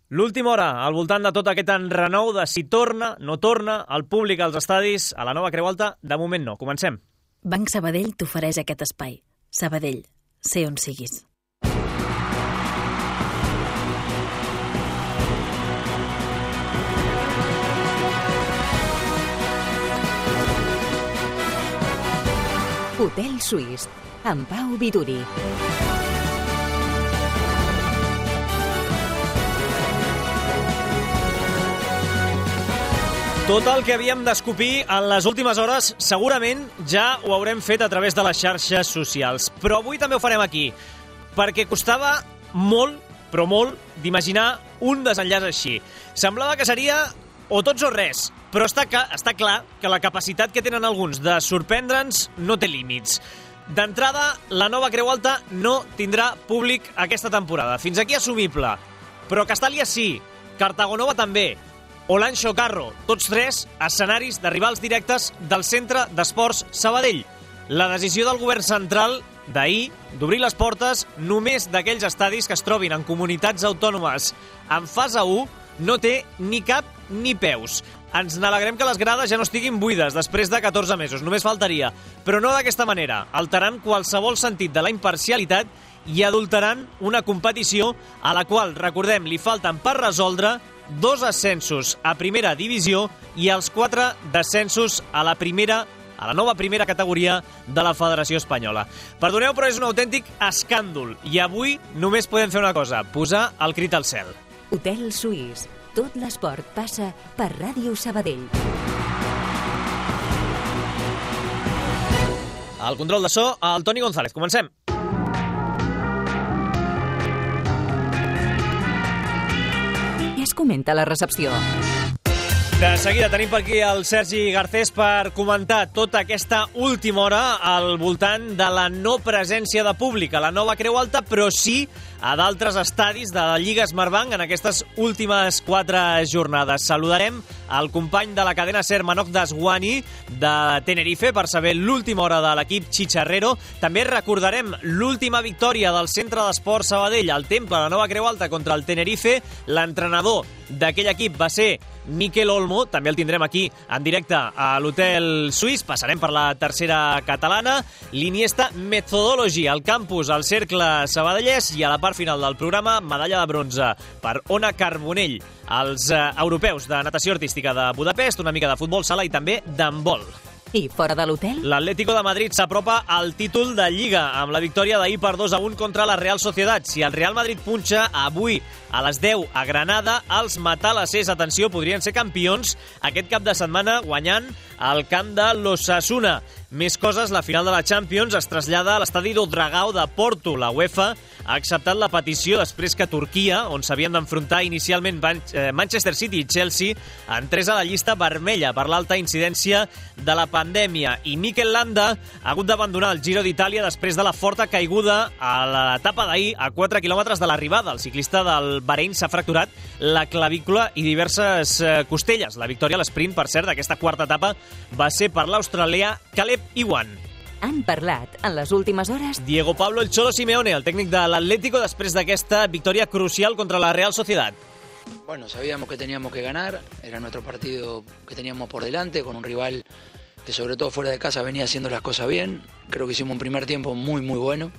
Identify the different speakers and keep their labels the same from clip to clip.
Speaker 1: L'última hora, al voltant de tot aquest enrenou de si torna, no torna, el públic als estadis, a la nova Creu Alta, de moment no. Comencem.
Speaker 2: Banc Sabadell t'ofereix aquest espai. Sabadell, sé on siguis.
Speaker 3: Hotel Suís, amb Pau Viduri.
Speaker 1: Tot el que havíem d'escopir en les últimes hores segurament ja ho haurem fet a través de les xarxes socials. Però avui també ho farem aquí, perquè costava molt, però molt, d'imaginar un desenllaç així. Semblava que seria o tots o res, però està clar que la capacitat que tenen alguns de sorprendre'ns no té límits. D'entrada, la nova Creu Alta no tindrà públic aquesta temporada. Fins aquí assumible. Però Castàlia sí, Cartagonova també, Olancho Carro, tots tres escenaris de rivals directes del Centre d'Esports Sabadell. La decisió del govern central d'ahir d'obrir les portes només d'aquells estadis que es trobin en comunitats autònomes en fase 1 no té ni cap ni peus. Ens n'alegrem que les grades ja no estiguin buides després de 14 mesos, només faltaria. Però no d'aquesta manera, alterant qualsevol sentit de la imparcialitat i adulterant una competició a la qual, recordem, li falten per resoldre 2 ascensos a primera divisió i els 4 descensos a la nova primera categoria de la Federació Espanyola. Perdoneu, però és un autèntic escàndol i avui només podem fer una cosa, posar el crit al cel.
Speaker 3: Hotel Suís. Tot l'esport passa per Ràdio Sabadell.
Speaker 1: Al control de so, el Toni González. Comencem.
Speaker 3: Què es comenta a la recepció?
Speaker 1: De seguida tenim per aquí el Sergi Garcés per comentar tota aquesta última hora al voltant de la no presència de públic a la nova Creu Alta, però sí a d'altres estadis de la Lliga Smartbank en aquestes últimes 4 jornades. Saludarem el company de la cadena SER, Manoj Daswani, de Tenerife, per saber l'última hora de l'equip Chicharrero. També recordarem l'última victòria del Centre d'Esports Sabadell al Temple de la nova Creu Alta contra el Tenerife. L'entrenador d'aquell equip va ser Miquel Olmo, també el tindrem aquí en directe a l'Hotel Suís. Passarem per la tercera catalana, l'Iniesta Methodology, al campus, al Cercle Sabadellès, i a la part final del programa, medalla de bronze per Ona Carbonell, als europeus de natació artística de Budapest, una mica de futbol sala i també d'handbol.
Speaker 3: I fora de l'hotel?
Speaker 1: L'Atlético de Madrid s'apropa al títol de Lliga amb la victòria d'ahir per 2-1 contra la Real Sociedad. Si el Real Madrid punxa avui a les 10 a Granada, els matalassers, atenció, podrien ser campions aquest cap de setmana guanyant al camp de l'Osasuna. Més coses, la final de la Champions es trasllada a l'estadi d'Odragao de Porto. La UEFA ha acceptat la petició després que Turquia, on s'havien d'enfrontar inicialment Manchester City i Chelsea, entrés a la llista vermella per l'alta incidència de la pandèmia. I Mikel Landa ha hagut d'abandonar el Giro d'Itàlia després de la forta caiguda a l'etapa d'ahir a 4 quilòmetres de l'arribada. El ciclista del Bahrein s'ha fracturat la clavícula i diverses costelles. La victòria a l'esprint, per cert, d'aquesta quarta etapa va ser per l'australià Caleb Ewan.
Speaker 3: Han parlat en les últimes hores
Speaker 1: Diego Pablo El Cholo Simeone, el tècnic de l'Atlético, després d'aquesta victòria crucial contra la Real Sociedad.
Speaker 4: Bueno, sabíamos que teníamos que ganar, era nuestro partido que teníamos por delante, con un rival que sobre todo fuera de casa venía haciendo las cosas bien. Creo que hicimos un primer tiempo muy bueno,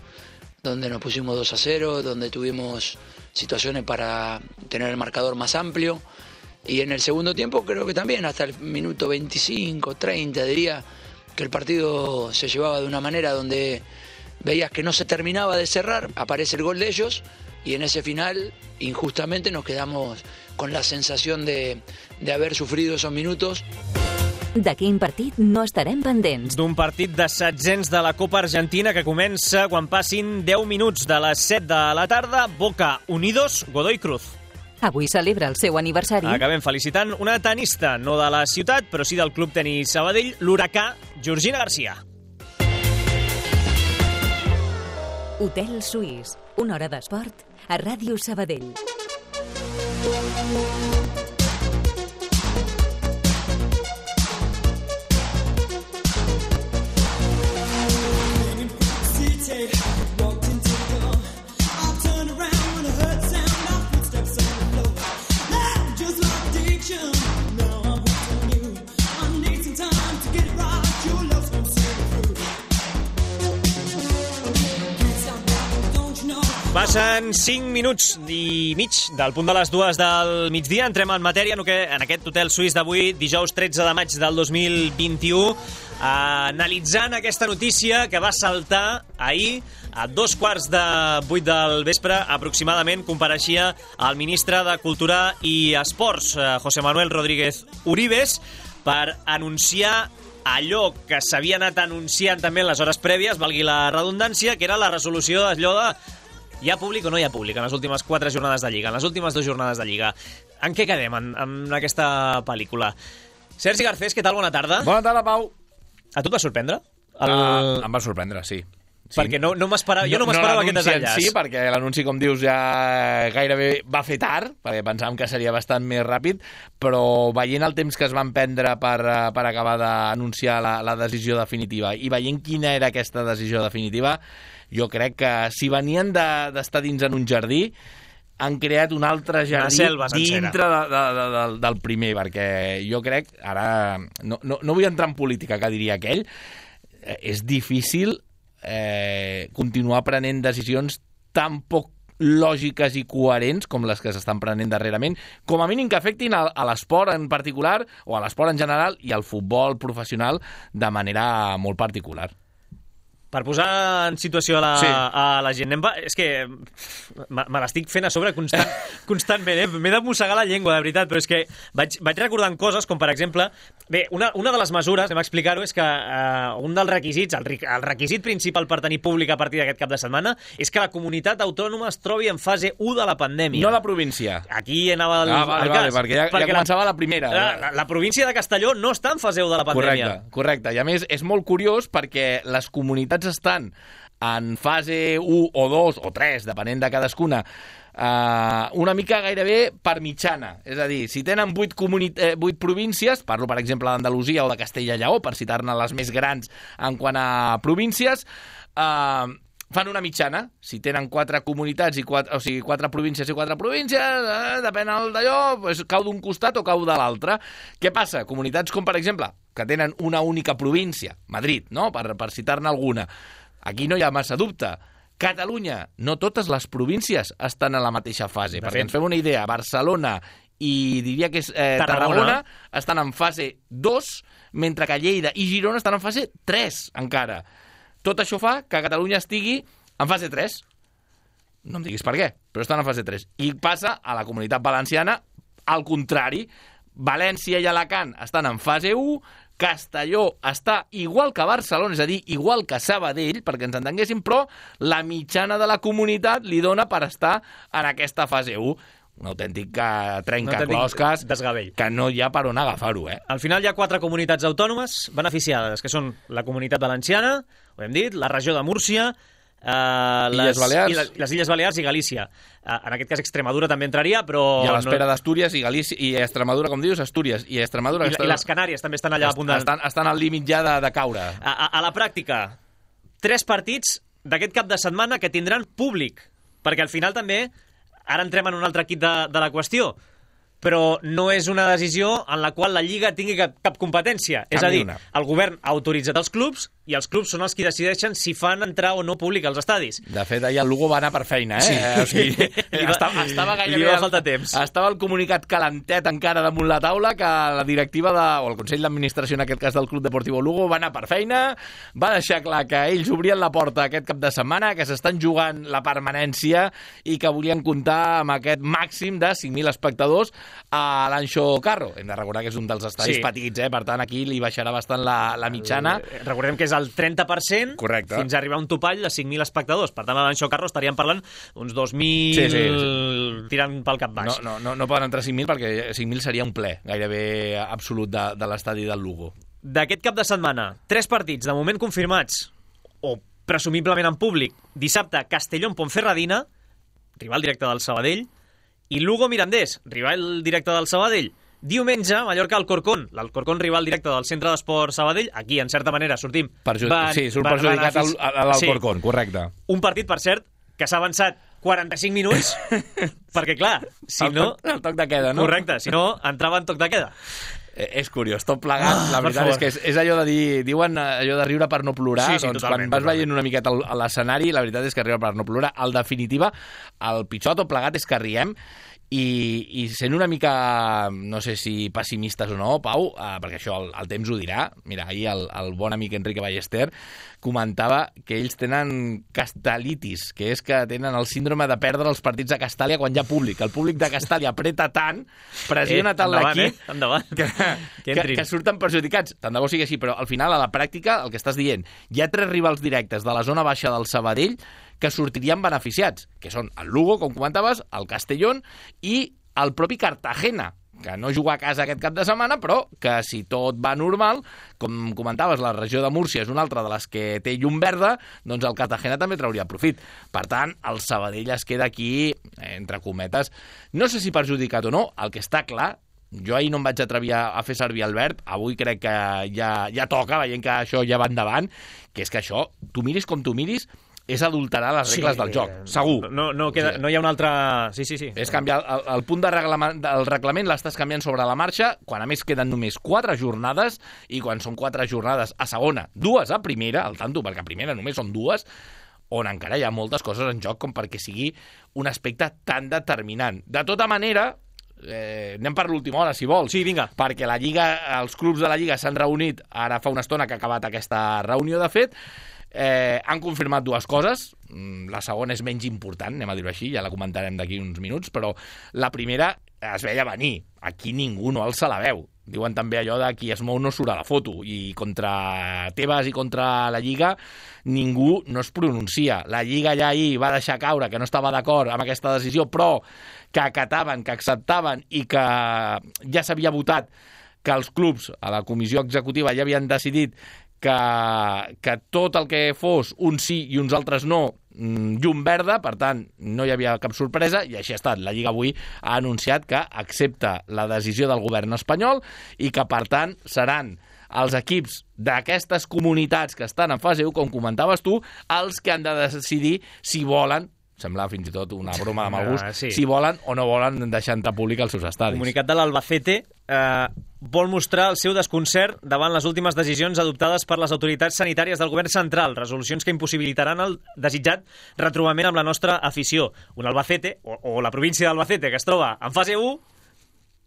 Speaker 4: donde nos pusimos 2-0, donde tuvimos situaciones para tener el marcador más amplio. Y en el segundo tiempo creo que también, hasta el minuto 25, 30, diría que el partido se llevaba de una manera donde veías que no se terminaba de cerrar, aparece el gol de ellos y en ese final, injustamente, nos quedamos con la sensación de haber sufrido esos minutos.
Speaker 3: De quin partit no estarem pendents?
Speaker 1: D'un partit de setzents de la Copa Argentina que comença quan passin 10 minuts de les 7 de la tarda. Boca Unidos, Godoy Cruz.
Speaker 3: Avui celebra el seu aniversari.
Speaker 1: Acabem felicitant una tenista, no de la ciutat, però sí del Club Tenis Sabadell, l'Huracà, Georgina Garcia.
Speaker 3: Hotel Suís, una hora d'esport a Ràdio Sabadell.
Speaker 1: Passen 5 minuts i mig del punt de les 2 del migdia. Entrem en matèria en aquest hotel suís d'avui, dijous 13 de maig del 2021, analitzant aquesta notícia que va saltar ahir a 7:15 del vespre, aproximadament, compareixia el ministre de Cultura i Esports, José Manuel Rodríguez Uribes, per anunciar allò que s'havia anat anunciant també en les hores prèvies, valgui la redundància, que era la resolució d'allò de hi ha públic o no hi ha públic en les últimes 4 jornades de Lliga, en les últimes 2 jornades de Lliga. En què quedem en aquesta pel·lícula? Sergi Garcés, què tal? Bona tarda.
Speaker 5: Bona tarda, Pau.
Speaker 1: A tu et va sorprendre?
Speaker 5: Em va sorprendre, sí.
Speaker 1: Perquè no m'esperava, jo no m'esperava aquest desenllaç.
Speaker 5: Sí, perquè l'anunci, com dius, ja gairebé va fer tard, perquè pensàvem que seria bastant més ràpid, però veient el temps que es van prendre per acabar d'anunciar la decisió definitiva i veient quina era aquesta decisió definitiva, jo crec que si venien d'estar dins en un jardí, han creat un altre jardí dintre del primer, perquè jo crec, ara no vull entrar en política, que diria aquell, és difícil continuar prenent decisions tan poc lògiques i coherents com les que s'estan prenent darrerament, com a mínim que afectin a l'esport en particular o a l'esport en general i al futbol professional de manera molt particular.
Speaker 1: Per posar en situació a la gent, és que me l'estic fent a sobre constantment, m'he de mossegar la llengua, de veritat, però és que vaig recordant coses com, per exemple, bé, una de les mesures, anem a explicar-ho, és que un dels requisits, el requisit principal per tenir públic a partir d'aquest cap de setmana, és que la comunitat autònoma es trobi en fase 1 de la pandèmia.
Speaker 5: No la província.
Speaker 1: Aquí anava el cas.
Speaker 5: Perquè ja començava la primera.
Speaker 1: La província de Castelló no està en fase 1 de la pandèmia.
Speaker 5: Correcte. I a més, és molt curiós perquè les comunitats estan en fase 1 o 2 o 3, depenent de cadascuna, una mica gairebé per mitjana. És a dir, si tenen 8 províncies, parlo per exemple d'Andalusia o de Castella i Lleó, per citar-ne les més grans en quant a províncies, fan una mitjana. Si tenen 4 comunitats, o sigui, 4 províncies i 4 províncies, depèn d'allò, doncs cau d'un costat o cau de l'altre. Què passa? Comunitats com, per exemple, que tenen una única província, Madrid, no? Per citar-ne alguna. Aquí no hi ha massa dubte. Catalunya, no totes les províncies estan en la mateixa fase. Perquè ens fem una idea, Barcelona i diria que és Tarragona estan en fase 2, mentre que Lleida i Girona estan en fase 3 encara. Tot això fa que Catalunya estigui en fase 3. No em diguis per què, però estan en fase 3. I passa a la Comunitat Valenciana al contrari. València i Alacant estan en fase 1, Castelló està igual que Barcelona, és a dir, igual que Sabadell, perquè ens entenguéssim, però la mitjana de la comunitat li dona per estar en aquesta fase 1. Un autèntic trencaclosques que no hi ha per on agafar-ho.
Speaker 1: Al final hi ha 4 comunitats autònomes beneficiades, que són la Comunitat Valenciana, ho hem dit, la regió de Múrcia, les Illes Balears i Galícia. En aquest cas Extremadura també entraria, però...
Speaker 5: I a l'espera d'Astúries i Galícia i Extremadura, com dius, Astúries i Extremadura...
Speaker 1: I les Canàries també estan allà a punt de...
Speaker 5: Estan al límit ja de caure.
Speaker 1: A la pràctica, 3 partits d'aquest cap de setmana que tindran públic, perquè al final també, ara entrem en un altre kit de la qüestió, però no és una decisió en la qual la Lliga tingui cap competència. És a dir, el govern ha autoritzat els clubs i els clubs són els qui decideixen si fan entrar o no públic als estadis.
Speaker 5: De fet, ahir el Lugo va anar per feina,
Speaker 1: Sí.
Speaker 5: O sigui, estava gairebé...
Speaker 1: Li va faltar temps.
Speaker 5: Estava el comunicat calentet encara damunt la taula que la directiva o el Consell d'Administració, en aquest cas del Club Deportivo Lugo, va anar per feina, va deixar clar que ells obrien la porta aquest cap de setmana, que s'estan jugant la permanència i que volien comptar amb aquest màxim de 5.000 espectadors a l'Anxo Carro. Hem de recordar que és un dels estadis petits, per tant aquí li baixarà bastant la mitjana.
Speaker 1: Recordem que és el 30%.
Speaker 5: Correcte.
Speaker 1: Fins a arribar a un topall de 5.000 espectadors. Per tant, a l'Anxo Carro estaríem parlant uns 2.000 tirant pel cap baix.
Speaker 5: No poden entrar 5.000 perquè 5.000 seria un ple gairebé absolut de l'estadi del Lugo.
Speaker 1: D'aquest cap de setmana, 3 partits de moment confirmats o presumiblement en públic. Dissabte, Castelló en Ponferradina, rival directe del Sabadell, i Lugo Mirandés, rival directe del Sabadell. Diumenge, Mallorca Alcorcón, l'Alcorcón rival directe del Centre d'Esport Sabadell. Aquí, en certa manera, sortim...
Speaker 5: surt perjudicat a l'Alcorcón, correcte.
Speaker 1: Un partit, per cert, que s'ha avançat 45 minuts, perquè, clar, si no...
Speaker 5: El toc de queda, no?
Speaker 1: Correcte, si no, entrava en toc de queda.
Speaker 5: És curiós, tot plegat. La veritat és que és allò de dir... Diuen allò de riure per no plorar.
Speaker 1: Sí,
Speaker 5: doncs
Speaker 1: totalment,
Speaker 5: quan vas veient una miqueta a l'escenari, la veritat és que riure per no plorar. En definitiva, el pitjor tot plegat és que riem i sent una mica, no sé si pessimistes o no, Pau, perquè això el temps ho dirà. Mira, ahir el bon amic Enrique Ballester comentava que ells tenen castalitis, que és que tenen el síndrome de perdre els partits de Castàlia quan hi ha públic. El públic de Castàlia apreta tant, pressiona tant l'equip, que surten perjudicats. Tant de bo sigui així, però al final, a la pràctica, el que estàs dient, hi ha 3 rivals directes de la zona baixa del Sabadell que sortirien beneficiats, que són el Lugo, com comentaves, el Castellón i el propi Cartagena, que no juga a casa aquest cap de setmana, però que si tot va normal, com comentaves, la regió de Múrcia és una altra de les que té llum verda, doncs el Cartagena també trauria profit. Per tant, el Sabadell es queda aquí, entre cometes, no sé si perjudicat o no, el que està clar, jo ahir no em vaig atrevir a fer servir el verb, avui crec que ja toca, veient que això ja va endavant, que és que això, tu miris com tu miris, és adulterar les regles del joc, segur.
Speaker 1: No hi ha una altra... Sí.
Speaker 5: És canviar el punt del reglament, l'estàs canviant sobre la marxa, quan a més queden només 4 jornades, i quan són 4 jornades a segona, 2 a primera, al tanto, perquè a primera només són 2, on encara hi ha moltes coses en joc com perquè sigui un aspecte tan determinant. De tota manera, anem per l'última hora, si vols.
Speaker 1: Sí, vinga.
Speaker 5: Perquè la Lliga, els clubs de la Lliga s'han reunit, ara fa una estona que ha acabat aquesta reunió, de fet, han confirmat 2 coses. La segona és menys important, anem a dir-ho així, ja la comentarem d'aquí uns minuts, però la primera es veia venir. Aquí ningú no alça la veu. Diuen també allò de qui es mou no surt a la foto, i contra Tebas i contra la Lliga ningú no es pronuncia. La Lliga ja ahir va deixar caure que no estava d'acord amb aquesta decisió, però que acataven, que acceptaven i que ja s'havia votat, que els clubs a la comissió executiva ja havien decidit que tot el que fos uns sí i uns altres no, llum verda, per tant no hi havia cap sorpresa, i així ha estat. La Lliga avui ha anunciat que accepta la decisió del govern espanyol i que per tant seran els equips d'aquestes comunitats que estan en fase 1, com comentaves tu, els que han de decidir si volen, sembla fins i tot una broma de mal gust, si volen o no volen deixar entrar públic als seus estadis. El
Speaker 1: comunicat de l'Albacete vol mostrar el seu desconcert davant les últimes decisions adoptades per les autoritats sanitàries del govern central, resolucions que impossibilitaran el desitjat retrobament amb la nostra afició. Un Albacete, o la província d'Albacete, que es troba en fase 1,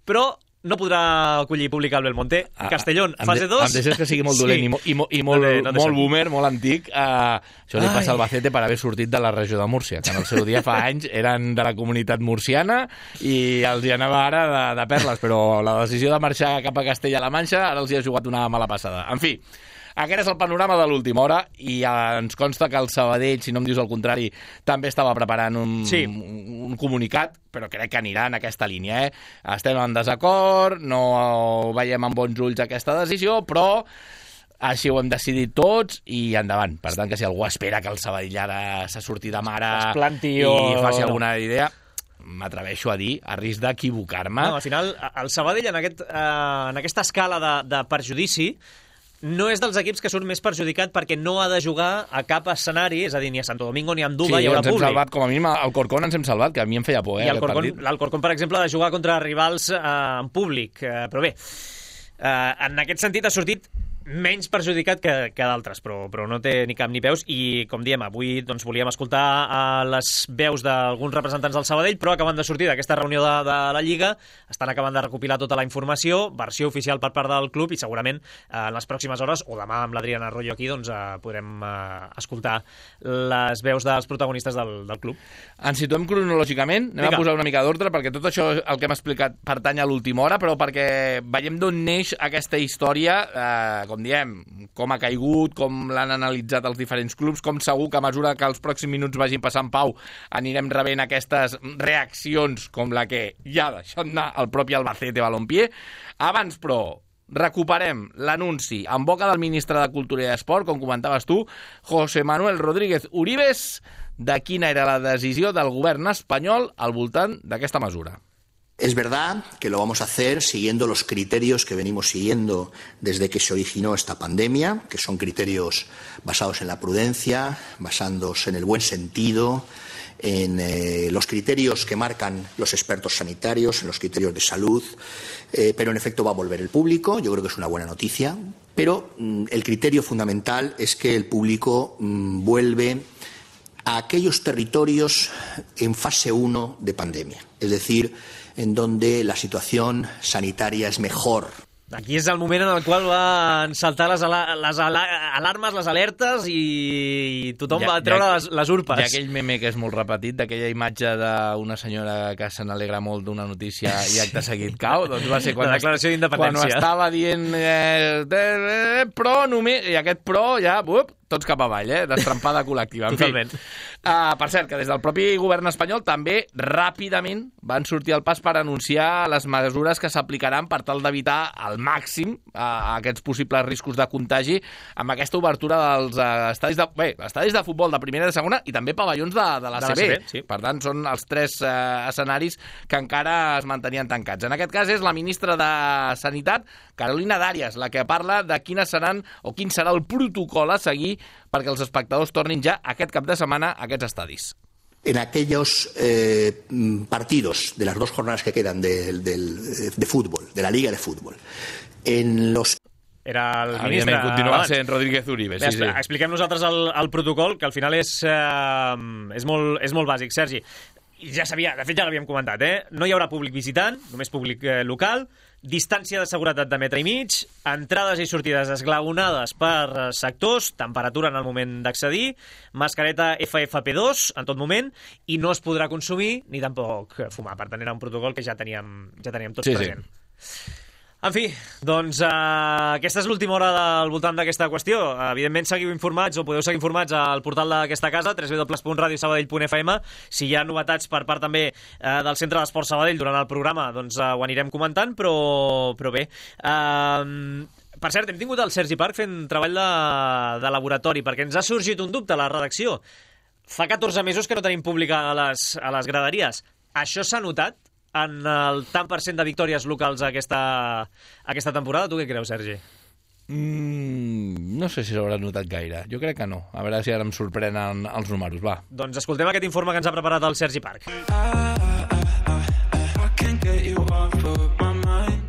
Speaker 1: però no podrà acollir públic al Belmonte. Castellón, fase 2...
Speaker 5: Em deixes que sigui molt dolent i molt boomer, molt antic. Això li passa al Albacete per haver sortit de la regió de Múrcia, que en el seu dia fa anys eren de la comunitat murciana i els hi anava ara de perles, però la decisió de marxar cap a Castella-La Manxa ara els hi ha jugat una mala passada. En fi, aquest és el panorama de l'última hora, i ens consta que el Sabadell, si no em dius el contrari, també estava preparant un comunicat, però crec que anirà en aquesta línia. Estem en desacord, no veiem amb bons ulls aquesta decisió, però així ho hem decidit tots i endavant. Per tant, que si algú espera que el Sabadell ara s'ha sortit de mare i faci alguna idea, m'atreveixo a dir, a risc d'equivocar-me.
Speaker 1: No, al final, el Sabadell en aquesta escala de perjudici no és dels equips que surt més perjudicat perquè no ha de jugar a cap escenari, és a dir, ni a Santo Domingo ni a Andúba hi haurà públic. Sí, ens hem salvat,
Speaker 5: com a mínim, el Corcón ens hem salvat, que a mi em feia por,
Speaker 1: l'Alcorcón, per exemple, ha de jugar contra rivals en públic. Però bé, en aquest sentit ha sortit menys perjudicat que d'altres, però no té ni cap ni peus, i com diem, avui doncs, volíem escoltar les veus d'alguns representants del Sabadell, però acaben de sortir d'aquesta reunió de la Lliga, estan acabant de recopilar tota la informació, versió oficial per part del club, i segurament en les pròximes hores, o demà amb l'Adrián Arroyo aquí, doncs podrem escoltar les veus dels protagonistes del club.
Speaker 5: Ens situem cronològicament, anem a posar una mica d'ordre, perquè tot això, el que hem explicat, pertany a l'última hora, però perquè veiem d'on neix aquesta història, com diem, com ha caigut, com l'han analitzat els diferents clubs, com segur que a mesura que els pròxims minuts vagin passant, Pau, anirem rebent aquestes reaccions com la que ja ha deixat anar el propi Albacete Balompié. Abans, però, recuperem l'anunci en boca del ministre de Cultura i Esport, com comentaves tu, José Manuel Rodríguez Uribes, de quina era la decisió del govern espanyol al voltant d'aquesta mesura.
Speaker 6: Es verdad que lo vamos a hacer siguiendo los criterios que venimos siguiendo desde que se originó esta pandemia, que son criterios basados en la prudencia, basándose en el buen sentido, en los criterios que marcan los expertos sanitarios, en los criterios de salud, pero en efecto va a volver el público. Yo creo que es una buena noticia, pero el criterio fundamental es que el público vuelve a aquellos territorios en fase 1 de pandemia, es decir, en donde la situación sanitaria es mejor.
Speaker 1: Aquí és el moment en el qual van saltar les alarmes, les alertes i tothom va treure les urpes.
Speaker 5: Hi ha aquell meme que és molt repetit, d'aquella imatge d'una senyora que se n'alegra molt d'una notícia i acte seguit cau, doncs va ser quan
Speaker 1: la declaració d'independència.
Speaker 5: Quan estava dient pro només, i aquest pro ja, tots cap avall, destrempada col·lectiva.
Speaker 1: Totalment.
Speaker 5: Per cert, que des del propi govern espanyol també ràpidament van sortir al pas per anunciar les mesures que s'aplicaran per tal d'evitar al màxim aquests possibles riscos de contagi amb aquesta obertura dels estadis de futbol de primera i de segona i també pavellons de l'ACB.
Speaker 1: Sí.
Speaker 5: Per tant, són els 3 escenaris que encara es mantenien tancats. En aquest cas és la ministra de Sanitat, Carolina Darias, la que parla de quin serà el protocol a seguir perquè els espectadors tornin ja aquest cap de setmana a aquests estadis.
Speaker 6: En aquellos partidos de las 2 jornadas que quedan de fútbol, de la Liga de Fútbol, en los...
Speaker 1: Era el ministre...
Speaker 5: Continua sent Rodríguez Uribe. Sí.
Speaker 1: Expliquem nosaltres el protocol, que al final és molt bàsic, Sergi. Ja sabia, de fet ja l'havíem comentat, no hi haurà públic visitant, només públic local, distància de seguretat de 1,5 metres, entrades i sortides esglaonades per sectors, temperatura en el moment d'accedir, mascareta FFP2 en tot moment, i no es podrà consumir ni tampoc fumar. Per tant, era un protocol que ja teníem tots present. En fi, doncs aquesta és l'última hora al voltant d'aquesta qüestió. Evidentment, seguiu informats o podeu seguir informats al portal d'aquesta casa, www.radiosabadell.fm. Si hi ha novetats per part també del Centre d'Esport Sabadell durant el programa, doncs ho anirem comentant, però bé. Per cert, hem tingut el Sergi Parc fent treball de laboratori, perquè ens ha sorgit un dubte a la redacció. Fa 14 mesos que no tenim públic a les graderies. Això s'ha notat en el tant per cent de victòries locals aquesta temporada? Tu què creus, Sergi?
Speaker 5: No sé si s'haurà notat gaire. Jo crec que no. A veure si ara em sorprenen els números. Va.
Speaker 1: Doncs escoltem aquest informe que ens ha preparat el Sergi Parc.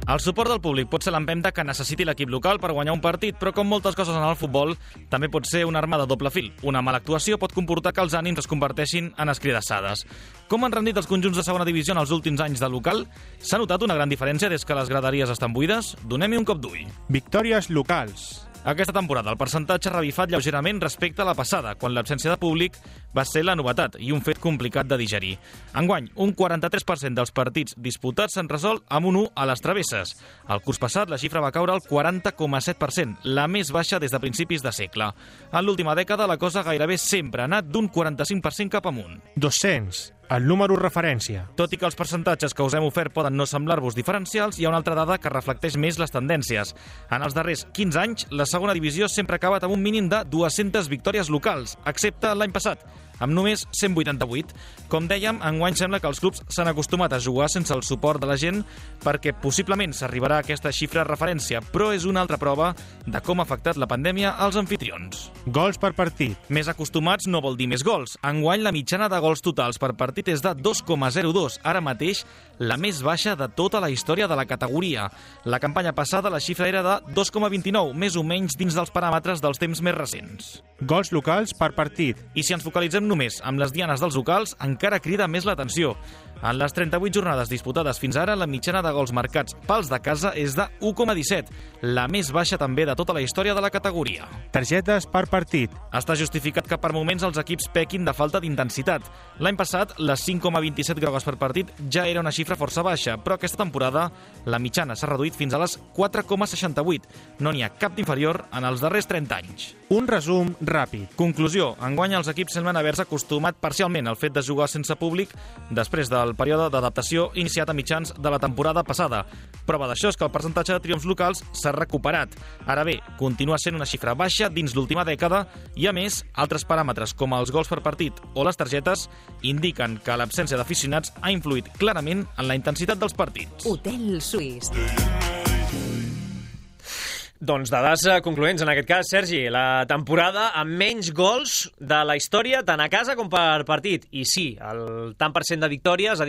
Speaker 7: El suport del públic pot ser l'empenta que necessiti l'equip local per guanyar un partit, però com moltes coses en el futbol, també pot ser una arma de doble fil. Una mala actuació pot comportar que els ànims es converteixin en escridassades. Com han rendit els conjunts de segona divisió en els últims anys de local? S'ha notat una gran diferència des que les graderies estan buides? Donem-hi un cop d'ull.
Speaker 8: Victòries locals.
Speaker 7: Aquesta temporada el percentatge ha revifat lleugerament respecte a la passada, quan l'absència de públic va ser la novetat i un fet complicat de digerir. Enguany, un 43% dels partits disputats s'han resolt amb un 1 a les travesses. El curs passat la xifra va caure al 40,7%, la més baixa des de principis de segle. En l'última dècada la cosa gairebé sempre ha anat d'un 45% cap amunt.
Speaker 8: 200. El número referència.
Speaker 7: Tot i que els percentatges que us hem ofert poden no semblar-vos diferencials, hi ha una altra dada que reflecteix més les tendències. En els darrers 15 anys, la segona divisió sempre ha acabat amb un mínim de 200 victòries locals, excepte l'any passat, amb només 188. Com dèiem, enguany sembla que els clubs s'han acostumat a jugar sense el suport de la gent perquè possiblement s'arribarà a aquesta xifra de referència, però és una altra prova de com ha afectat la pandèmia als anfitrions.
Speaker 8: Gols per partit.
Speaker 7: Més acostumats no vol dir més gols. Enguany la mitjana de gols totals per partit és de 2,02, ara mateix la més baixa de tota la història de la categoria. La campanya passada la xifra era de 2,29, més o menys dins dels paràmetres dels temps més recents.
Speaker 8: Gols locals per partit.
Speaker 7: I si ens focalitzem només amb les dianes dels locals, encara crida més l'atenció. En les 38 jornades disputades fins ara, la mitjana de gols marcats pels de casa és de 1,17, la més baixa també de tota la història de la categoria.
Speaker 8: Targetes per partit.
Speaker 7: Està justificat que per moments els equips pequin de falta d'intensitat. L'any passat, les 5,27 grogues per partit ja era una xifra força baixa, però aquesta temporada la mitjana s'ha reduït fins a les 4,68. No n'hi ha cap d'inferior en els darrers 30 anys.
Speaker 8: Un resum ràpid.
Speaker 7: Conclusió. Enguany els equips semblen haver-se acostumat parcialment al fet de jugar sense públic després del període d'adaptació iniciat a mitjans de la temporada passada. Prova d'això és que el percentatge de triomfs locals s'ha recuperat. Ara bé, continua sent una xifra baixa dins l'última dècada i, a més, altres paràmetres com els gols per partit o les targetes indiquen que l'absència d'aficionats ha influït clarament en la intensitat dels partits.
Speaker 3: Hotel Suís.
Speaker 1: Doncs dades concloents, en aquest cas, Sergi. La temporada amb menys gols de la història, tant a casa com per partit. I sí, el tant per cent de victòries,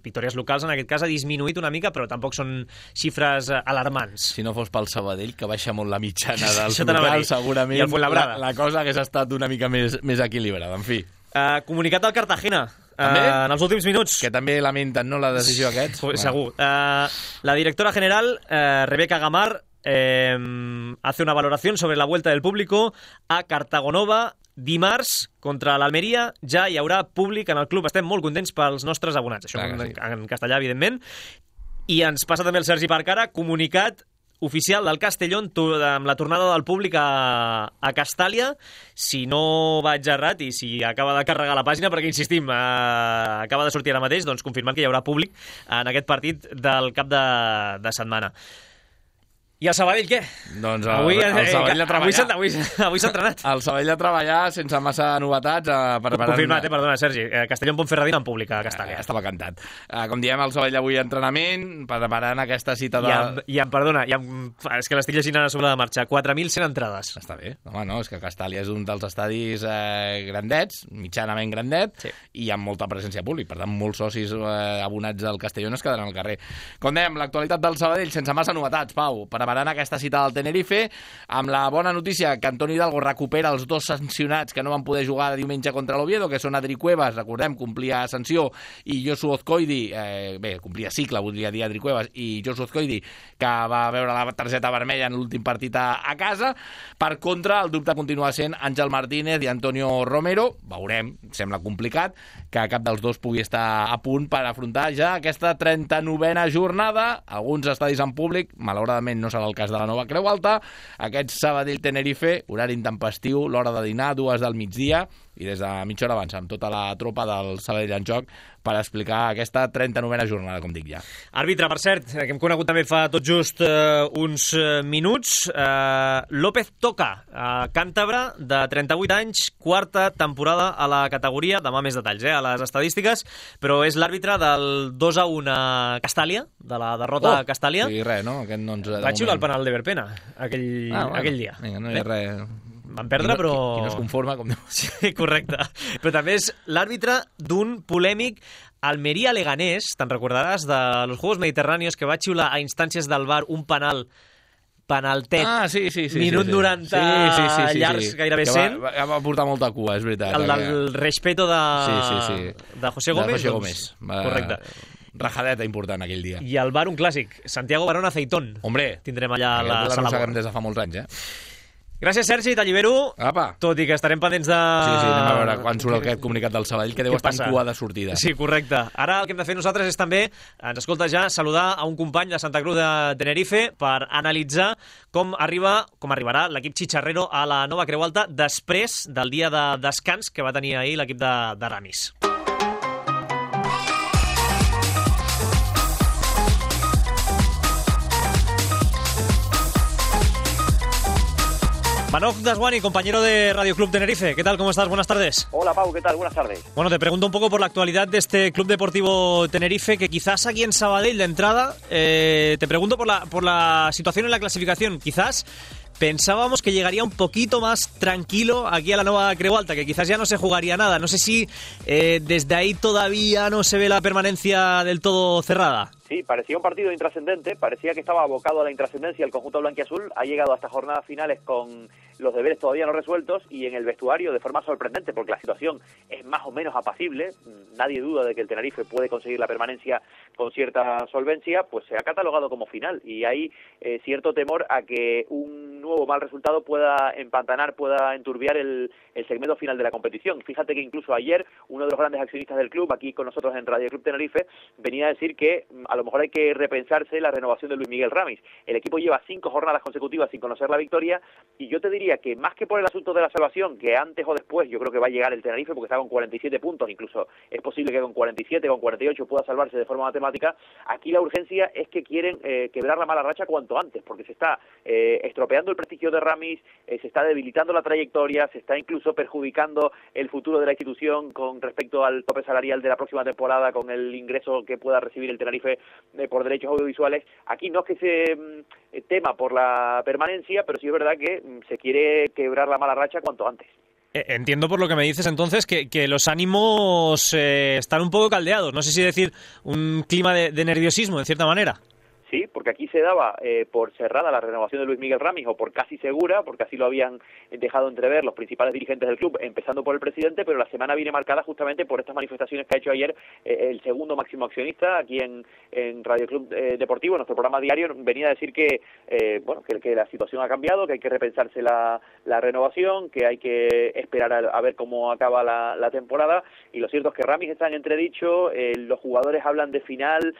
Speaker 1: victòries locals en aquest cas, ha disminuït una mica, però tampoc són xifres alarmants.
Speaker 5: Si no fos pel Sabadell, que baixa molt la mitjana dels
Speaker 1: Això t'anava a
Speaker 5: locals,
Speaker 1: dir.
Speaker 5: segurament
Speaker 1: I el Fuenlabrada.
Speaker 5: la cosa hagués estat una mica més equilibrada. En fi,
Speaker 1: Comunicat del Cartagena.
Speaker 5: També?
Speaker 1: En els últims minuts.
Speaker 5: que també lamenten, no, la decisió aquests?
Speaker 1: Pues, segur. La directora general, Rebeca Gamar, hace una valoración sobre la vuelta del público a Cartagonova. Dimarts, contra l'Almeria, ja hi haurà públic en el club. Estem molt contents pels nostres abonats. Això en castellà, evidentment. I ens passa també el Sergi Parcara, comunicat oficial del Castellón amb la tornada del públic a Castàlia. Si no vaig errat i si acaba de carregar la pàgina, perquè insistim, acaba de sortir ara mateix, doncs confirmant que hi haurà públic en aquest partit del cap de setmana. I el Sabadell, què?
Speaker 5: Doncs el Sabadell a treballar.
Speaker 1: Avui s'ha entrenat.
Speaker 5: El Sabadell a treballar sense massa novetats.
Speaker 1: Confirmat, perdona, Sergi. Castellón Ponferradina en públic a Castàlia.
Speaker 5: Estava cantat. Com diem, el Sabadell avui a entrenament, preparant aquesta cita de...
Speaker 1: És que l'estic llegint ara sobre la marxa. 4.100 entrades.
Speaker 5: Està bé. Home, no, és que Castàlia és un dels estadis grandets, mitjanament grandet, sí. I amb molta presència pública. Per tant, molts socis abonats al Castellón es quedaran al carrer. Com dèiem, l'actualitat del Sabadell sense massa novetats, Pau. Preparant aquesta cita del Tenerife, amb la bona notícia que Antoni Hidalgo recupera els dos sancionats que no van poder jugar diumenge contra l'Oviedo, que són Adri Cuevas, recordem, complia sanció, i Josu Ozcoidi, complia cicle, voldria dir Adri Cuevas, i Josu Ozcoidi, que va veure la targeta vermella en l'últim partit a casa. Per contra, el dubte continua sent Àngel Martínez i Antonio Romero. Veurem, sembla complicat, que cap dels dos pugui estar a punt per afrontar ja aquesta 39a jornada. Alguns estadis en públic, malauradament no serà el cas de la nova Creu Alta. Aquest Sabadell-Tenerife, horari intempestiu, l'hora de dinar, 2 del migdia, i des de mitja hora abans amb tota la tropa del Sabadell en joc per explicar aquesta 39a jornada, com dic ja.
Speaker 1: Àrbitre, per cert, que hem conegut també fa tot just uns minuts, López Toca, càntabre, de 38 anys, quarta temporada a la categoria, demà més detalls a les estadístiques, però és l'àrbitre del 2-1 a Castàlia, de la derrota a Castàlia.
Speaker 5: Sí, res, no? Aquest no ens...
Speaker 1: Va xiular el penal de Verpena aquell dia.
Speaker 5: Vinga, no hi ha res...
Speaker 1: Van perdre, però...
Speaker 5: Qui no es conforma, com diu.
Speaker 1: Sí, correcte. Però també és l'àrbitre d'un polèmic Almeria-Leganés, te'n recordaràs, de los Juegos Mediterráneos, que va xiular a instàncies del VAR un penaltet,
Speaker 5: sí.
Speaker 1: minut 90, llargs, gairebé 100.
Speaker 5: Va portar molta cua, és veritat.
Speaker 1: El del respeto de José Gómez.
Speaker 5: De José Gómez.
Speaker 1: Correcte.
Speaker 5: Rajadeta important aquell dia.
Speaker 1: I el VAR un clàssic, Santiago Barón Aceitón.
Speaker 5: Hombre,
Speaker 1: tindrem allà la sala.
Speaker 5: Des de fa molts anys,
Speaker 1: Gràcies, Sergi, t'allibero.
Speaker 5: Apa.
Speaker 1: Tot i que estarem pendents de...
Speaker 5: Sí, anem a veure quan surt aquest comunicat del Sabadell, que deu estar en cua de sortida.
Speaker 1: Sí, correcte. Ara el que hem de fer nosaltres és també, ens escolta ja, saludar a un company de Santa Cruz de Tenerife per analitzar com arribarà l'equip Chicharrero a la nova Creu Alta després del dia de descans que va tenir ahir l'equip de Ramis. Manoj Daswani, compañero de Radio Club Tenerife. ¿Qué tal? ¿Cómo estás? Buenas tardes.
Speaker 9: Hola, Pau. ¿Qué tal? Buenas tardes.
Speaker 1: Bueno, te pregunto un poco por la actualidad de este Club Deportivo Tenerife, que quizás aquí en Sabadell, de entrada, te pregunto por la situación en la clasificación. Quizás pensábamos que llegaría un poquito más tranquilo aquí a la nueva Creu Alta, que quizás ya no se jugaría nada. No sé si desde ahí todavía no se ve la permanencia del todo cerrada.
Speaker 9: Sí, parecía un partido intrascendente, parecía que estaba abocado a la intrascendencia el conjunto blanquiazul, ha llegado hasta jornadas finales con los deberes todavía no resueltos y en el vestuario de forma sorprendente, porque la situación es más o menos apacible, nadie duda de que el Tenerife puede conseguir la permanencia con cierta solvencia, pues se ha catalogado como final y hay cierto temor a que un nuevo mal resultado pueda empantanar, pueda enturbiar el segmento final de la competición. Fíjate que incluso ayer uno de los grandes accionistas del club, aquí con nosotros en Radio Club Tenerife, venía a decir que a lo mejor hay que repensarse la renovación de Luis Miguel Ramis. El equipo lleva 5 jornadas consecutivas sin conocer la victoria y yo te diría que más que por el asunto de la salvación, que antes o después yo creo que va a llegar el Tenerife porque está con 47 puntos, incluso es posible que con 47, con 48 pueda salvarse de forma matemática, aquí la urgencia es que quieren quebrar la mala racha cuanto antes, porque se está estropeando el prestigio de Ramis, se está debilitando la trayectoria, se está incluso perjudicando el futuro de la institución con respecto al tope salarial de la próxima temporada, con el ingreso que pueda recibir el Tenerife por derechos audiovisuales. Aquí no es que se tema por la permanencia, pero sí es verdad que se quiere quebrar la mala racha cuanto antes.
Speaker 1: Entiendo por lo que me dices entonces que los ánimos están un poco caldeados, no sé si decir un clima de nerviosismo en cierta manera.
Speaker 9: Sí, porque aquí se daba por cerrada la renovación de Luis Miguel Ramis, o por casi segura, porque así lo habían dejado entrever los principales dirigentes del club, empezando por el presidente, pero la semana viene marcada justamente por estas manifestaciones que ha hecho ayer el segundo máximo accionista aquí en Radio Club Deportivo, en nuestro programa diario. Venía a decir que la situación ha cambiado, que hay que repensarse la renovación, que hay que esperar a ver cómo acaba la temporada, y lo cierto es que Ramis está en entredicho, los jugadores hablan de final,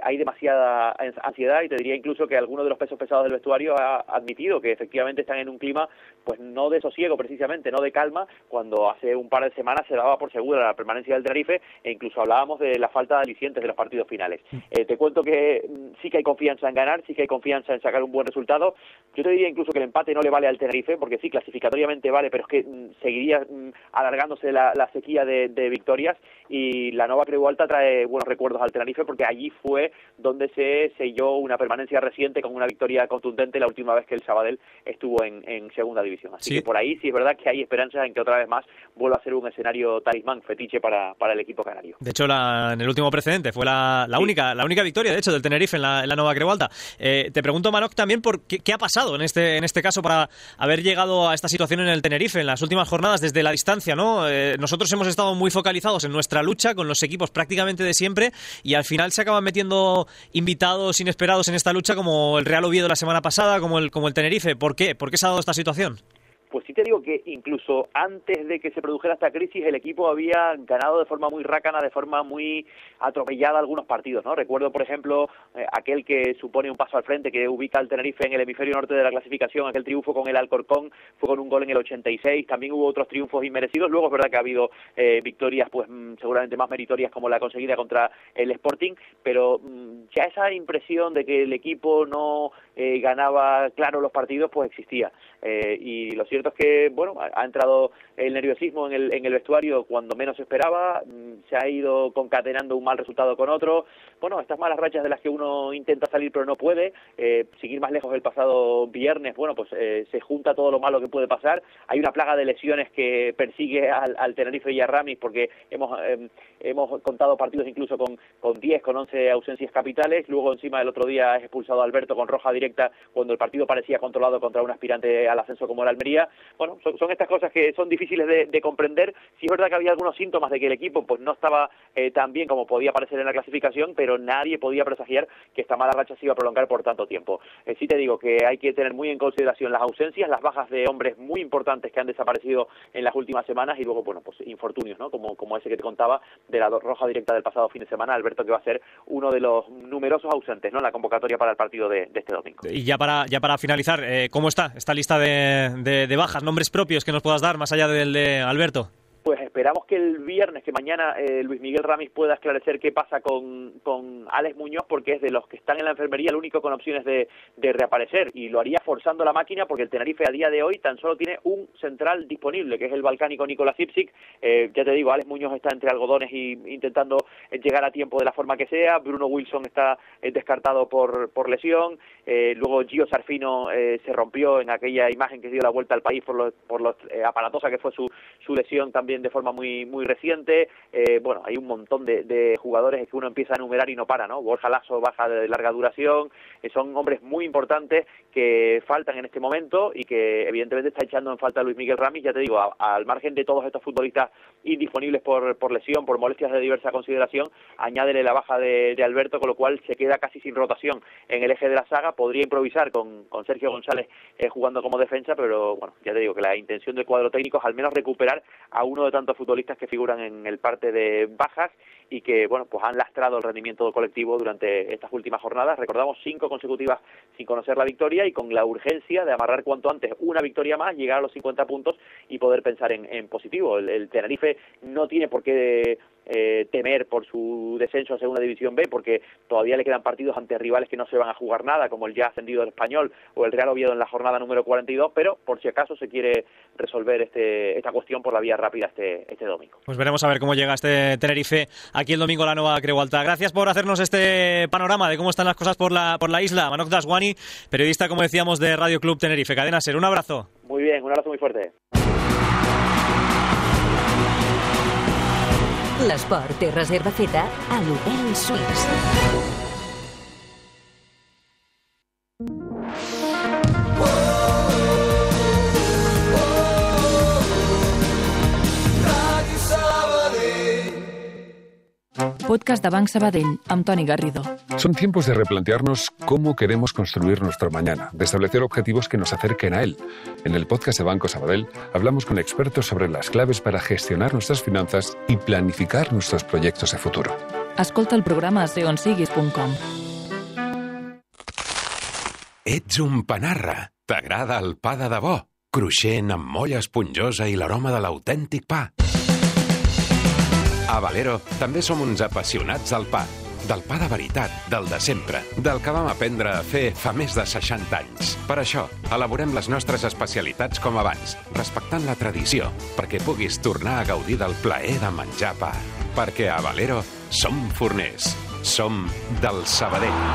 Speaker 9: hay demasiada ansiedad, y te diría incluso que alguno de los pesos pesados del vestuario ha admitido que efectivamente están en un clima pues no de sosiego precisamente, no de calma, cuando hace un par de semanas se daba por segura la permanencia del Tenerife, e incluso hablábamos de la falta de alicientes de los partidos finales. Te cuento que sí que hay confianza en ganar, sí que hay confianza en sacar un buen resultado. Yo te diría incluso que el empate no le vale al Tenerife, porque sí, clasificatoriamente vale, pero es que seguiría alargándose la sequía de victorias, y la Nova Creu Alta trae buenos recuerdos al Tenerife, porque allí fue donde se selló una permanencia reciente con una victoria contundente la última vez que el Sabadell estuvo en segunda división. Así que por ahí sí es verdad que hay esperanzas en que otra vez más vuelva a ser un escenario talismán, fetiche para el equipo canario.
Speaker 1: De hecho, en el último precedente fue la única victoria, de hecho, del Tenerife en la Nova Creu Alta. Te pregunto, Manoc, también por qué ha pasado en este caso para haber llegado a esta situación en el Tenerife en las últimas jornadas desde la distancia, ¿no? Nosotros hemos estado muy focalizados en nuestra lucha con los equipos prácticamente de siempre, y al final se acaban metiendo invitados inesperados en esta lucha, como el Real Oviedo la semana pasada, como el Tenerife. ¿Por qué? ¿Por qué se ha dado esta situación?
Speaker 9: Pues sí te digo que incluso antes de que se produjera esta crisis, el equipo había ganado de forma muy rácana, de forma muy atropellada algunos partidos, ¿no? Recuerdo, por ejemplo, aquel que supone un paso al frente, que ubica al Tenerife en el hemisferio norte de la clasificación, aquel triunfo con el Alcorcón, fue con un gol en el 86, también hubo otros triunfos inmerecidos. Luego es verdad que ha habido victorias pues seguramente más meritorias, como la conseguida contra el Sporting, pero ya esa impresión de que el equipo no ganaba claro los partidos, pues existía. Y lo cierto es que, bueno, ha entrado el nerviosismo en el vestuario cuando menos se esperaba, se ha ido concatenando un mal resultado con otro. Bueno, estas malas rachas de las que uno intenta salir pero no puede, seguir más lejos el pasado viernes, bueno, pues se junta todo lo malo que puede pasar. Hay una plaga de lesiones que persigue al Tenerife y a Ramis, porque hemos contado partidos incluso con 10, con 11 ausencias capitales. Luego encima el otro día es expulsado a Alberto con roja directa cuando el partido parecía controlado contra un aspirante al ascenso como el Almería. Bueno, son estas cosas que son difíciles de comprender. Sí es verdad que había algunos síntomas de que el equipo pues no estaba tan bien como podía parecer en la clasificación, pero nadie podía presagiar que esta mala racha se iba a prolongar por tanto tiempo. Sí te digo que hay que tener muy en consideración las ausencias, las bajas de hombres muy importantes que han desaparecido en las últimas semanas, y luego, bueno, pues infortunios, ¿no? Como ese que te contaba de la roja directa del pasado fin de semana, Alberto, que va a ser uno de los numerosos ausentes, ¿no?, en la convocatoria para el partido de este domingo.
Speaker 1: Y ya para finalizar, ¿cómo está esta lista de bajas, nombres propios que nos puedas dar más allá del de Alberto?
Speaker 9: Pues esperamos que el viernes, que mañana Luis Miguel Ramis pueda esclarecer qué pasa con Alex Muñoz, porque es de los que están en la enfermería el único con opciones de reaparecer, y lo haría forzando la máquina, porque el Tenerife a día de hoy tan solo tiene un central disponible, que es el balcánico Nicolás Ipsic. Ya te digo, Alex Muñoz está entre algodones y intentando llegar a tiempo de la forma que sea. Bruno Wilson está descartado por lesión. Luego Gio Sarfino se rompió en aquella imagen que dio la vuelta al país por lo aparatosa que fue su lesión también de forma muy muy reciente. Bueno, hay un montón de jugadores que uno empieza a enumerar y no para, ¿no? Borja Lasso, baja de larga duración. Son hombres muy importantes que faltan en este momento y que evidentemente está echando en falta a Luis Miguel Ramis. Ya te digo, al margen de todos estos futbolistas indisponibles por lesión, por molestias de diversa consideración, añádele la baja de Alberto, con lo cual se queda casi sin rotación en el eje de la saga. Podría improvisar con Sergio González jugando como defensa, pero bueno, ya te digo que la intención del cuadro técnico es al menos recuperar a uno de tantos futbolistas que figuran en el parte de bajas y que, bueno, pues han lastrado el rendimiento colectivo durante estas últimas jornadas. Recordamos 5 consecutivas sin conocer la victoria, y con la urgencia de amarrar cuanto antes una victoria más, llegar a los 50 puntos y poder pensar en positivo. El Tenerife no tiene por qué temer por su descenso a Segunda División B, porque todavía le quedan partidos ante rivales que no se van a jugar nada, como el ya ascendido del Español o el Real Oviedo en la jornada número 42, pero por si acaso se quiere resolver esta cuestión por la vía rápida este domingo.
Speaker 1: Pues veremos a ver cómo llega este Tenerife aquí el domingo a la Nova Creu Alta. Gracias por hacernos este panorama de cómo están las cosas por la isla. Manoj Daswani, periodista, como decíamos, de Radio Club Tenerife. Cadena SER, un abrazo.
Speaker 9: Muy bien, un abrazo muy fuerte.
Speaker 3: L'esport té reserva feta a l'Hotel Suís.
Speaker 10: Podcast de Banc Sabadell, amb Toni Garrido.
Speaker 11: Son tiempos de replantearnos cómo queremos construir nuestro mañana, de establecer objetivos que nos acerquen a él. En el podcast de Banco Sabadell hablamos con expertos sobre las claves para gestionar nuestras finanzas y planificar nuestros proyectos de futuro.
Speaker 10: Escolta el programa a seonsiguis.com.
Speaker 12: Ets un panarra. T'agrada el pa de debò? Cruixent, amb molla esponjosa i l'aroma de l'autèntic pa. A Valero també som uns apassionats del pa de veritat, del de sempre, del que vam aprendre a fer fa més de 60 anys. Per això, elaborem les nostres especialitats com abans, respectant la tradició, perquè puguis tornar a gaudir del plaer de menjar pa. Perquè a Valero som forners, som del Sabadell.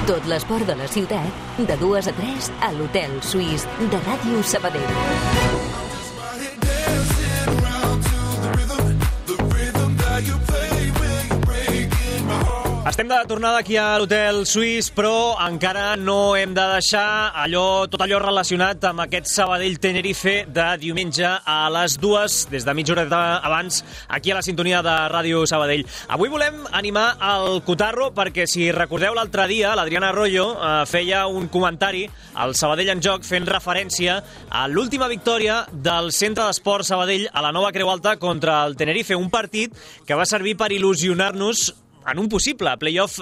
Speaker 3: Tot l'esport de la ciutat, de 2 a 3 a l'Hotel Suís de Ràdio Sabadell.
Speaker 1: Estem de tornada aquí a l'Hotel Suís, però encara no hem de deixar tot allò relacionat amb aquest Sabadell-Tenerife de diumenge a les 2, des de mitja horeta abans, aquí a la sintonia de Ràdio Sabadell. Avui volem animar el Cotarro perquè, si recordeu l'altre dia, l'Adriana Arroyo feia un comentari al Sabadell en Joc fent referència a l'última victòria del Centre d'Esport Sabadell a la Nova Creu Alta contra el Tenerife, un partit que va servir per il·lusionar-nos en un possible play-off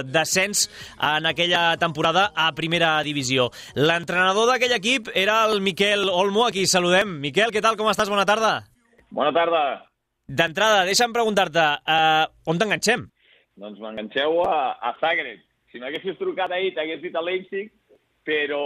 Speaker 1: d'ascens en aquella temporada a primera divisió. L'entrenador d'aquell equip era el Miquel Olmo, a qui saludem. Miquel, què tal? Com estàs? Bona tarda.
Speaker 13: Bona tarda.
Speaker 1: D'entrada, deixa'm preguntar-te, on t'enganxem?
Speaker 13: Doncs m'enganxeu a Zagreb. Si m'haguessis trucat ahir, t'hagués dit a Leipzig, però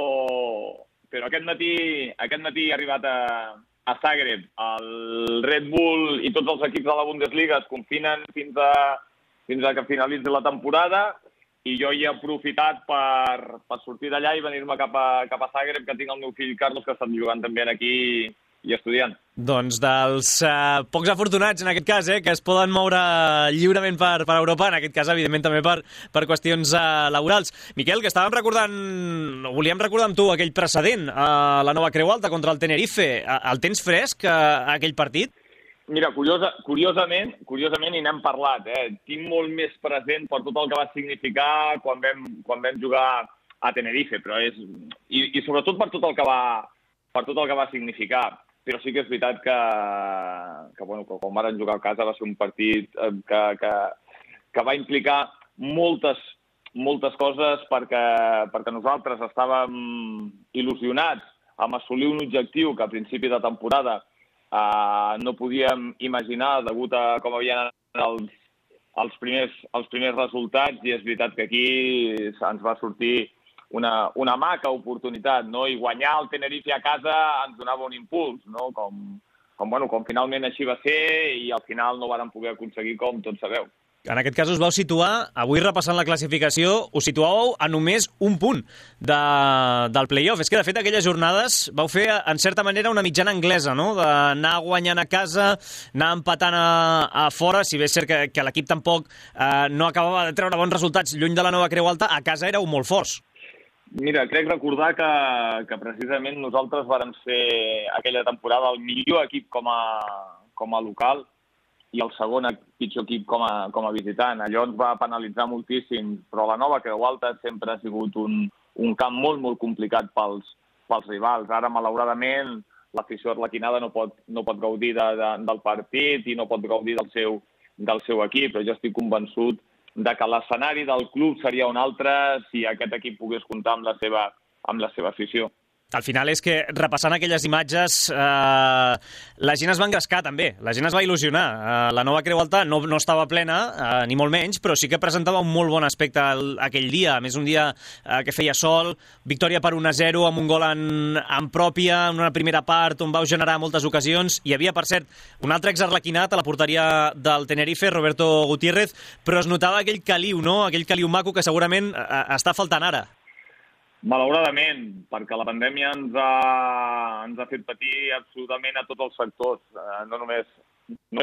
Speaker 13: aquest matí he arribat a Zagreb. El Red Bull i tots els equips de la Bundesliga es confinen fins a que finalitzi la temporada, i jo hi he aprofitat per sortir d'allà i venir-me cap a Zagreb, que tinc el meu fill Carlos, que ha estat jugant també aquí i estudiant.
Speaker 1: Doncs dels pocs afortunats, en aquest cas, que es poden moure lliurement per Europa, en aquest cas, evidentment, també per qüestions laborals. Miquel, que volíem recordar amb tu aquell precedent a la Nova Creu Alta contra el Tenerife. El tens fresc, aquell partit?
Speaker 13: Mira, curiosament, i n'hem parlat, tinc molt més present per tot el que va significar quan vam jugar a Tenerife, però i sobretot per tot el que va significar. Però sí que és veritat que quan van jugar a casa va ser un partit que va implicar moltes coses, perquè nosaltres estàvem il·lusionats amb assolir un objectiu que a principi de temporada no podíem imaginar degut a com havien anat els primers resultats, i és veritat que aquí ens va sortir una maca oportunitat, no? I guanyar el Tenerife a casa ens donava un impuls, no? Com finalment així va ser, i al final no vàrem poder aconseguir, com tots sabeu.
Speaker 1: En aquest cas us vau situar, avui repassant la classificació, us situàveu a només un punt del play-off. És que, de fet, aquelles jornades vau fer, en certa manera, una mitjana anglesa, no? D'anar guanyant a casa, anar empatant a fora, si bé és cert que l'equip tampoc no acabava de treure bons resultats lluny de la Nova Creu Alta, a casa éreu molt forts.
Speaker 13: Mira, crec recordar que precisament nosaltres vàrem ser aquella temporada el millor equip com a local, i el segon pitjor equip com a visitant. Allò ens va penalitzar moltíssim, però la Nova Creu Alta sempre ha sigut un camp molt, molt complicat pels rivals. Ara, malauradament, l'afició arlequinada no pot gaudir del partit i no pot gaudir del seu equip, però jo estic convençut de que l'escenari del club seria un altre si aquest equip pogués comptar amb la seva afició.
Speaker 1: Al final és que, repassant aquelles imatges, la gent es va engrescar també, la gent es va il·lusionar. La nova Creu Alta no estava plena, ni molt menys, però sí que presentava un molt bon aspecte aquell dia. A més, un dia que feia sol, victòria per 1-0 amb un gol en pròpia, en una primera part on vau generar moltes ocasions. Hi havia, per cert, un altre exarlequinat a la porteria del Tenerife, Roberto Gutiérrez, però es notava aquell caliu, no? Aquell caliu maco que segurament està faltant ara.
Speaker 13: Malauradament, perquè la pandèmia ens ha fet patir absolutament a tots els sectors, no només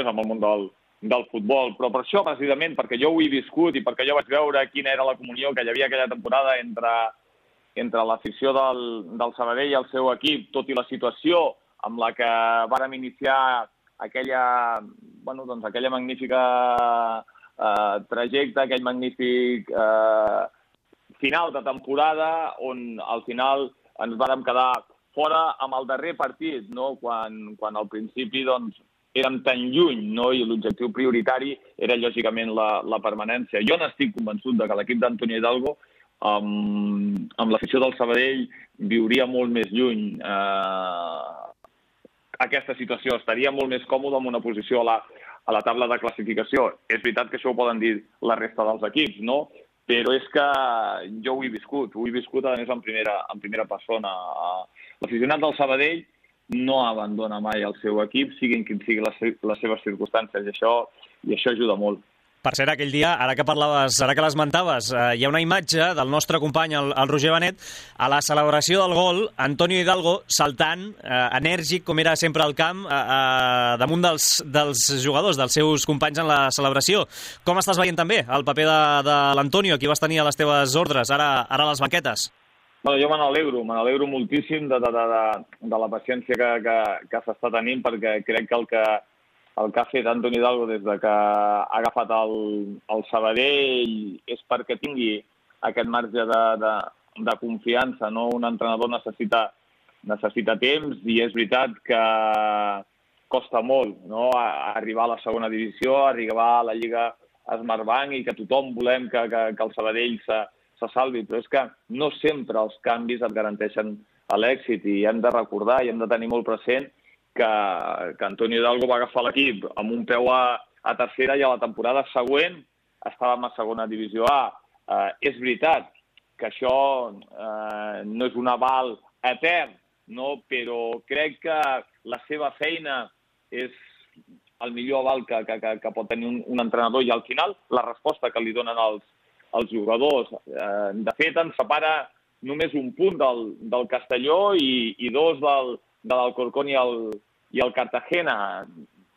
Speaker 13: amb el món del futbol, però per això, precisament, perquè jo ho he viscut i perquè jo vaig veure quina era la comunió que hi havia aquella temporada entre l'afició del Sabadell i el seu equip, tot i la situació amb la que vàrem iniciar aquella magnífica trajecte, aquell magnífic final de temporada on al final ens vàrem quedar fora amb el darrer partit, no? Quan al principi érem tan lluny, no? I l'objectiu prioritari era lògicament la permanència. Jo n'estic convençut que l'equip d'Antonio Hidalgo amb l'afició del Sabadell viuria molt més lluny aquesta situació, estaria molt més còmode en una posició a la taula de classificació. És veritat que això ho poden dir la resta dels equips, no? Però és que jo ho he viscut a més en primera persona. L'aficionat del Sabadell no abandona mai el seu equip, siguin quin siguin les seves circumstàncies, i això ajuda molt.
Speaker 1: Per cert, aquell dia, ara que l'esmentaves, hi ha una imatge del nostre company, el Roger Benet, a la celebració del gol, Antonio Hidalgo saltant, enèrgic, com era sempre al camp, damunt dels jugadors, dels seus companys en la celebració. Com estàs veient també el paper de l'Antonio, qui vas tenir a les teves ordres, ara a les banquetes?
Speaker 13: Bueno, jo me n'alegro moltíssim de la paciència que s'està tenint, perquè crec que el que ha fet Antonio Hidalgo des que ha agafat el Sabadell és perquè tingui aquest marge de confiança, no? Un entrenador necessita temps i és veritat que costa molt, no? Arribar a la segona divisió, arribar a la Lliga Smartbank i que tothom volem que el Sabadell se salvi, però és que no sempre els canvis et garanteixen l'èxit i hem de recordar i hem de tenir molt present que Antonio Hidalgo va agafar l'equip amb un peu a tercera i a la temporada següent estàvem a segona divisió A. És veritat que això no és un aval etern, no? Però crec que la seva feina és el millor aval que pot tenir un entrenador i al final la resposta que li donen els jugadors. De fet, ens separa només un punt del Castelló i dos de l'Alcorcón i el Cartagena.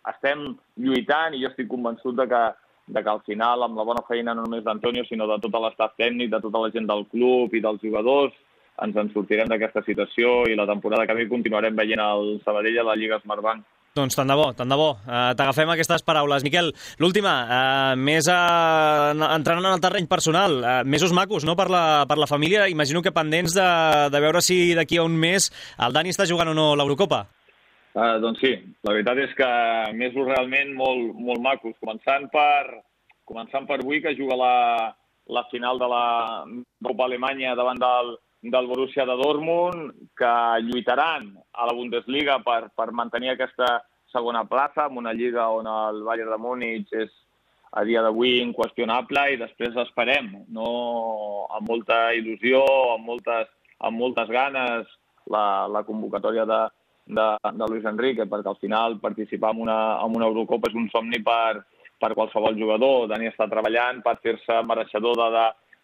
Speaker 13: Estem lluitant i jo estic convençut de que al final, amb la bona feina no només d'Antonio, sinó de tot l'estaf tècnic, de tota la gent del club i dels jugadors, ens en sortirem d'aquesta situació i la temporada que ve continuarem veient el Sabadell a la Lliga Smartbank.
Speaker 1: Doncs tant de bo. T'agafem aquestes paraules. Miquel, l'última, més entrant en el terreny personal, mesos macos, no?, per la família. Imagino que pendents de veure si d'aquí a un mes el Dani està jugant o no l'Eurocopa.
Speaker 13: Doncs sí, la veritat és que mesos realment molt, molt macos. Començant per avui, que juga la final de la Copa Alemanya davant del Borussia de Dortmund, que lluitaran a la Bundesliga per mantenir aquesta segona plaça, en una lliga on el Bayern de Múnich és a dia d'avui inqüestionable, i després esperem, no, amb molta il·lusió, amb moltes ganes, la convocatòria de Luis Enrique, perquè al final participar en una Eurocopa és un somni per qualsevol jugador. Dani està treballant per fer-se mereixedor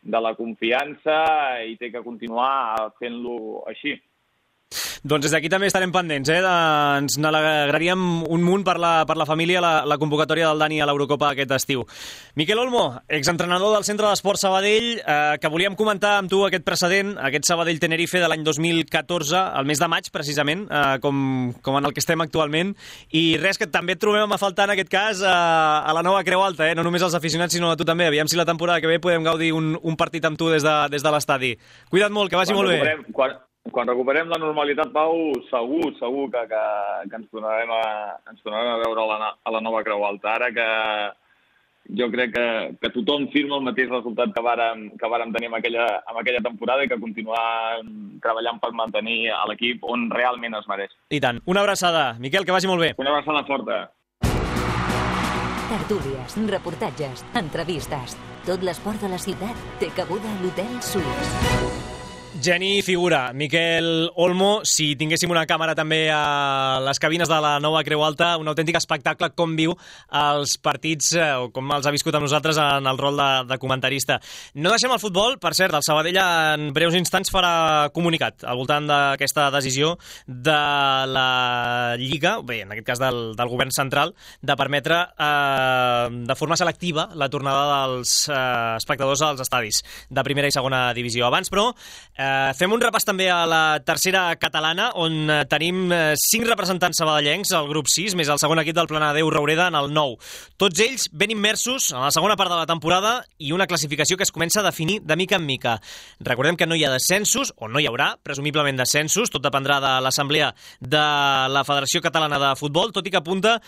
Speaker 13: de la confiança i té que continuar fent-lo així.
Speaker 1: Doncs des d'aquí també estarem pendents, ens n'alegraríem un munt per la família la convocatòria del Dani a l'Eurocopa aquest estiu. Miquel Olmo, exentrenador del Centre d'Esport Sabadell, que volíem comentar amb tu aquest precedent, aquest Sabadell-Tenerife de l'any 2014, al mes de maig, precisament, com en el que estem actualment, i res, que també et trobem a faltar en aquest cas a la nova Creu Alta, no només els aficionats, sinó a tu també. Aviam si la temporada que ve podem gaudir un partit amb tu des de l'estadi. Cuida't molt, que vagi molt bé.
Speaker 13: Quan recuperem la normalitat, Pau, segur que ens tornarem a veure a la nova Creu Alta. Ara jo crec que tothom firma el mateix resultat que vàrem tenir amb aquella temporada i que continuar treballant per mantenir l'equip on realment es mereix.
Speaker 1: I tant. Una abraçada. Miquel, que vagi molt bé.
Speaker 13: Una abraçada forta.
Speaker 3: Tertúlies, reportatges, entrevistes. Tot l'esport de la ciutat té cabuda a l'Hotel Suís.
Speaker 1: Geni figura. Miquel Olmo, si tinguéssim una càmera també a les cabines de la nova Creu Alta, un autèntic espectacle com viu els partits o com els ha viscut amb nosaltres en el rol de comentarista. No deixem el futbol, per cert, el Sabadell en breus instants farà comunicat al voltant d'aquesta decisió de la Lliga, bé, en aquest cas del govern central, de permetre de forma selectiva la tornada dels espectadors als estadis de primera i segona divisió. Abans, però, fem un repàs també a la tercera catalana, on tenim 5 representants sabadellencs, al grup 6, més el segon equip del Planadeu Roureda en el 9. Tots ells ben immersos en la segona part de la temporada i una classificació que es comença a definir de mica en mica. Recordem que no hi ha descensos, o no hi haurà, presumiblement descensos, tot dependrà de l'assemblea de la Federació Catalana de Futbol, tot i que apunta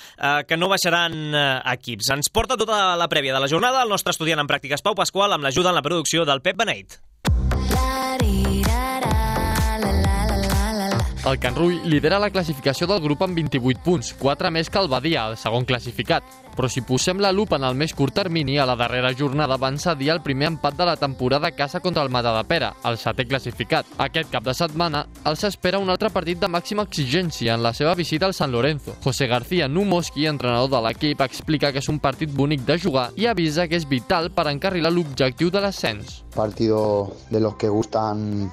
Speaker 1: que no baixaran equips. Ens porta tota la prèvia de la jornada el nostre estudiant en pràctiques Pau Pasqual, amb l'ajuda en la producció del Pep Beneit.
Speaker 14: El Can Rull lidera la classificació del grup amb 28 punts, 4 més que el Badia, el segon classificat. Però si posem la lupa en el més curt termini, a la darrera jornada van cedir el primer empat de la temporada a casa contra el Matadepera, el 7è classificat. Aquest cap de setmana els espera un altre partit de màxima exigència en la seva visita al San Lorenzo. José García Numoski, entrenador de l'equip, explica que és un partit bonic de jugar i avisa que és vital per encarrilar l'objectiu de l'ascens.
Speaker 15: Partido de los que gustan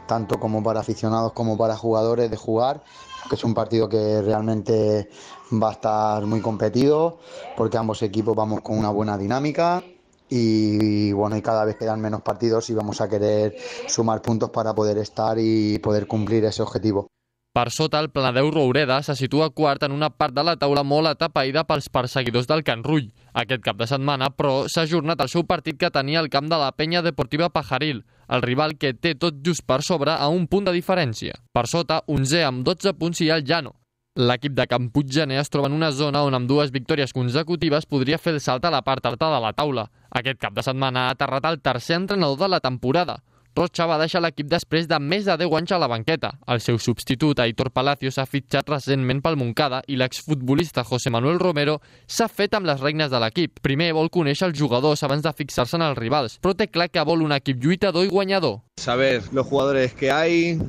Speaker 15: tanto como para aficionados como para jugadores de jugar, que es un partido que realmente va a estar muy competido, porque ambos equipos vamos con una buena dinámica y bueno, y cada vez quedan menos partidos y vamos a querer sumar puntos para poder estar y poder cumplir ese objetivo.
Speaker 14: Per sota, el Planadeu Roureda se situa quart en una part de la taula molt atapeïda pels perseguidors del Can Rull. Aquest cap de setmana, però, s'ha ajornat el seu partit que tenia al camp de la Penya Deportiva Pajaril, el rival que té tot just per sobre a un punt de diferència. Per sota, 11è amb 12 punts i el Llano. L'equip de Can Puiggener es troba en una zona on amb 2 victòries consecutives podria fer el salt a la part alta de la taula. Aquest cap de setmana ha aterrat el tercer entrenador de la temporada. Rocha va deixar l'equip després de més de 10 anys a la banqueta. El seu substitut, Aitor Palacios, ha fitxat recentment pel Montcada i l'exfutbolista José Manuel Romero s'ha fet amb les regnes de l'equip. Primer vol conèixer els jugadors abans de fixar-se en els rivals, però té clar que vol un equip lluitador i guanyador.
Speaker 16: Saber los jugadores que hay,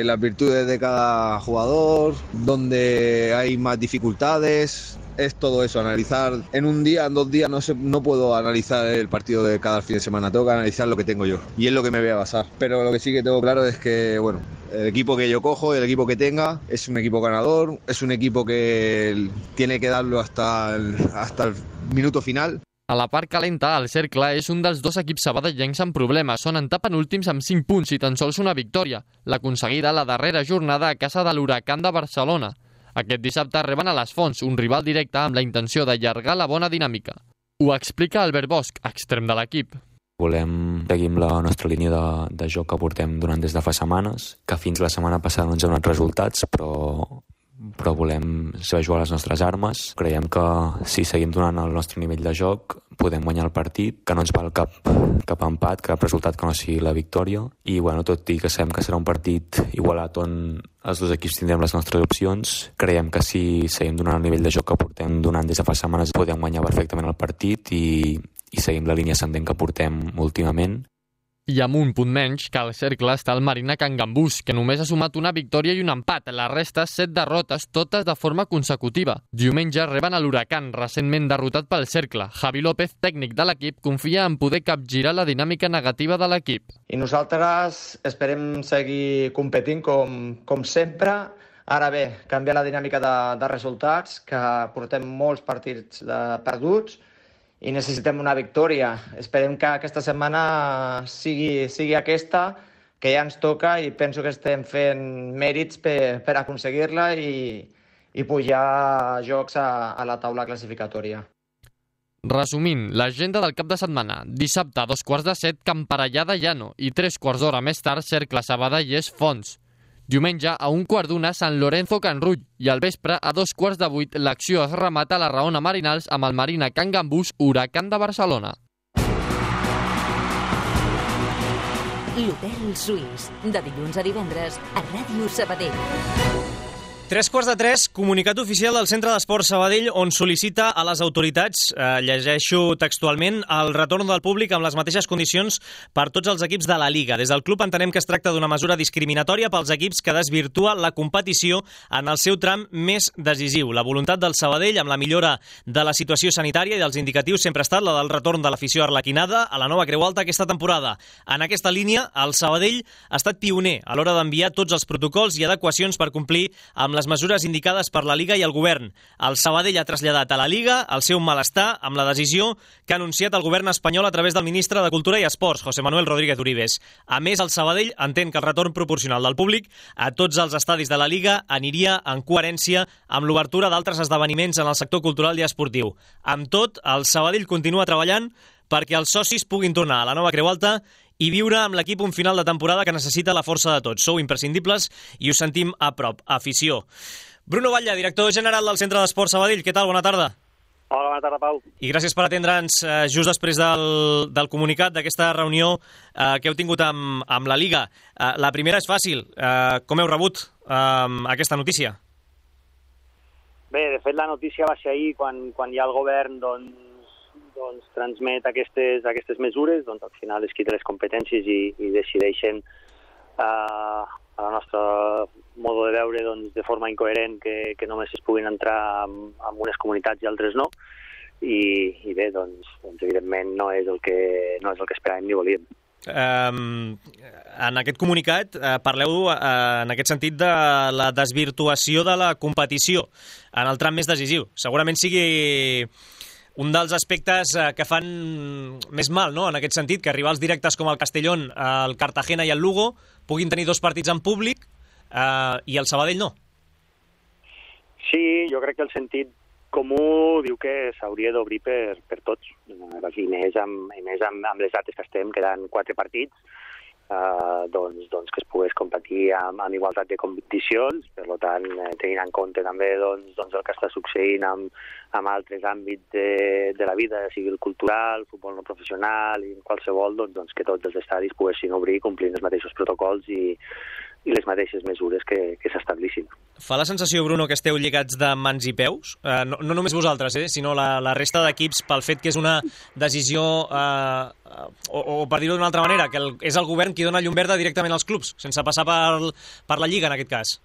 Speaker 16: las virtudes de cada jugador, donde hay más dificultades. Es todo eso, analizar en un día, en 2 días no puedo analizar el partido de cada fin de semana, tengo que analizar lo que tengo yo y es lo que me voy a basar. Pero lo que sí que tengo claro es que, bueno, el equipo que yo cojo, el equipo que tenga, es un equipo ganador, es un equipo que tiene que darlo hasta el minuto final.
Speaker 14: A la part calenta, el Cercle és un dels 2 equips sabadellencs amb problemes. Són antepenúltims amb 5 punts i tan sols una victòria, l'aconseguida la darrera jornada a casa de l'Huracán de Barcelona. Aquest dissabte reben a les Fonts, un rival directe amb la intenció d'allargar la bona dinàmica. Ho explica Albert Bosch, extrem de l'equip.
Speaker 17: Volem seguir amb la nostra línia de joc que portem durant des de fa setmanes, que fins la setmana passada no ens ha donat resultats, però volem saber jugar les nostres armes. Creiem que si seguim donant el nostre nivell de joc podem guanyar el partit, que no ens val cap empat, cap resultat que no sigui la victòria. I bueno, tot i que sabem que serà un partit igualat on els 2 equips tindrem les nostres opcions, creiem que si seguim donant el nivell de joc que portem donant des de fa setmanes podem guanyar perfectament el partit i seguim la línia ascendent que portem últimament.
Speaker 14: I amb un punt menys que el Cercle està el Marina Can Gambús, que només ha sumat una victòria i un empat. La resta, 7 derrotes, totes de forma consecutiva. Diumenge reben a l'Huracán, recentment derrotat pel Cercle. Javi López, tècnic de l'equip, confia en poder capgirar la dinàmica negativa de l'equip.
Speaker 18: I nosaltres esperem seguir competint com sempre. Ara bé, canviar la dinàmica de resultats, que portem molts partits perduts, i necessitem una victòria. Esperem que aquesta setmana sigui aquesta, que ja ens toca, i penso que estem fent mèrits per aconseguir-la i pujar jocs a la taula classificatòria.
Speaker 14: Resumint, l'agenda del cap de setmana. Dissabte, a 6:45, Camparellà de Llano, i 3 quarts d'hora més tard, Cercle Sabadell Fonts. Diumenge, a 7:15, Sant Lorenzo Can Rull, i al vespre, a 7:15, l'acció es remata a la Raona Marinals amb el Marina Can Gambús, Huracán de Barcelona.
Speaker 3: L'Hotel Suís, de dilluns a divendres, a Ràdio Sabadell.
Speaker 1: 3:45, comunicat oficial del Centre d'Esport Sabadell on sol·licita a les autoritats, llegeixo textualment, el retorn del públic amb les mateixes condicions per tots els equips de la Liga. Des del club entenem que es tracta d'una mesura discriminatòria pels equips que desvirtua la competició en el seu tram més decisiu. La voluntat del Sabadell amb la millora de la situació sanitària i dels indicatius sempre ha estat la del retorn de l'afició arlequinada a la nova Creu Alta aquesta temporada. En aquesta línia, el Sabadell ha estat pioner a l'hora d'enviar tots els protocols i adequacions per complir amb les mesures indicades per la Liga i el govern. El Sabadell ha traslladat a la Liga el seu malestar amb la decisió que ha anunciat el govern espanyol a través del ministre de Cultura i Esports, José Manuel Rodríguez Uribes. A més, el Sabadell entén que el retorn proporcional del públic a tots els estadis de la Liga aniria en coherència amb l'obertura d'altres esdeveniments en el sector cultural i esportiu. Amb tot, el Sabadell continua treballant perquè els socis puguin tornar a la nova Creu Alta i viure amb l'equip un final de temporada que necessita la força de tots. Sou imprescindibles i us sentim a prop. Afició. Bruno Batlle, director general del Centre d'Esport Sabadell. Què tal? Bona tarda.
Speaker 19: Hola, bona tarda, Pau.
Speaker 1: I gràcies per atendre'ns just després del comunicat d'aquesta reunió que heu tingut amb la Liga. La primera és fàcil. Com heu rebut aquesta notícia?
Speaker 19: Bé, de fet, la notícia va ser ahir quan ja el govern transmet aquestes mesures, doncs al final és qui té les competències i decideixen a la nostra modo de veure de forma incoherent que només es puguin entrar en unes comunitats i altres no, i bé, doncs evidentment no és el que esperàvem ni volíem.
Speaker 1: En aquest comunicat parleu en aquest sentit de la desvirtuació de la competició en el tram més decisiu. Segurament sigui un dels aspectes que fan més mal, no?, en aquest sentit, que rivals directes com el Castellón, el Cartagena i el Lugo puguin tenir 2 partits en públic i el Sabadell no.
Speaker 19: Sí, jo crec que el sentit comú diu que s'hauria d'obrir per tots, i més amb les dates que estem, quedant 4 partits, doncs que es pogués competir amb igualtat de condicions, per tant, tenint en compte també el que està succeint amb altres àmbits de la vida, sigui el cultural, el futbol no professional i qualsevol, doncs que tots els estadis poguessin obrir complint els mateixos protocols i les mateixes mesures que s'establissin. Fa la sensació, Bruno, que esteu lligats de mans i peus? No només vosaltres, sinó la resta d'equips, pel fet que és una decisió, o per dir-ho d'una altra manera, que és el govern qui dona llum verda directament als clubs, sense passar per la Lliga, en aquest cas.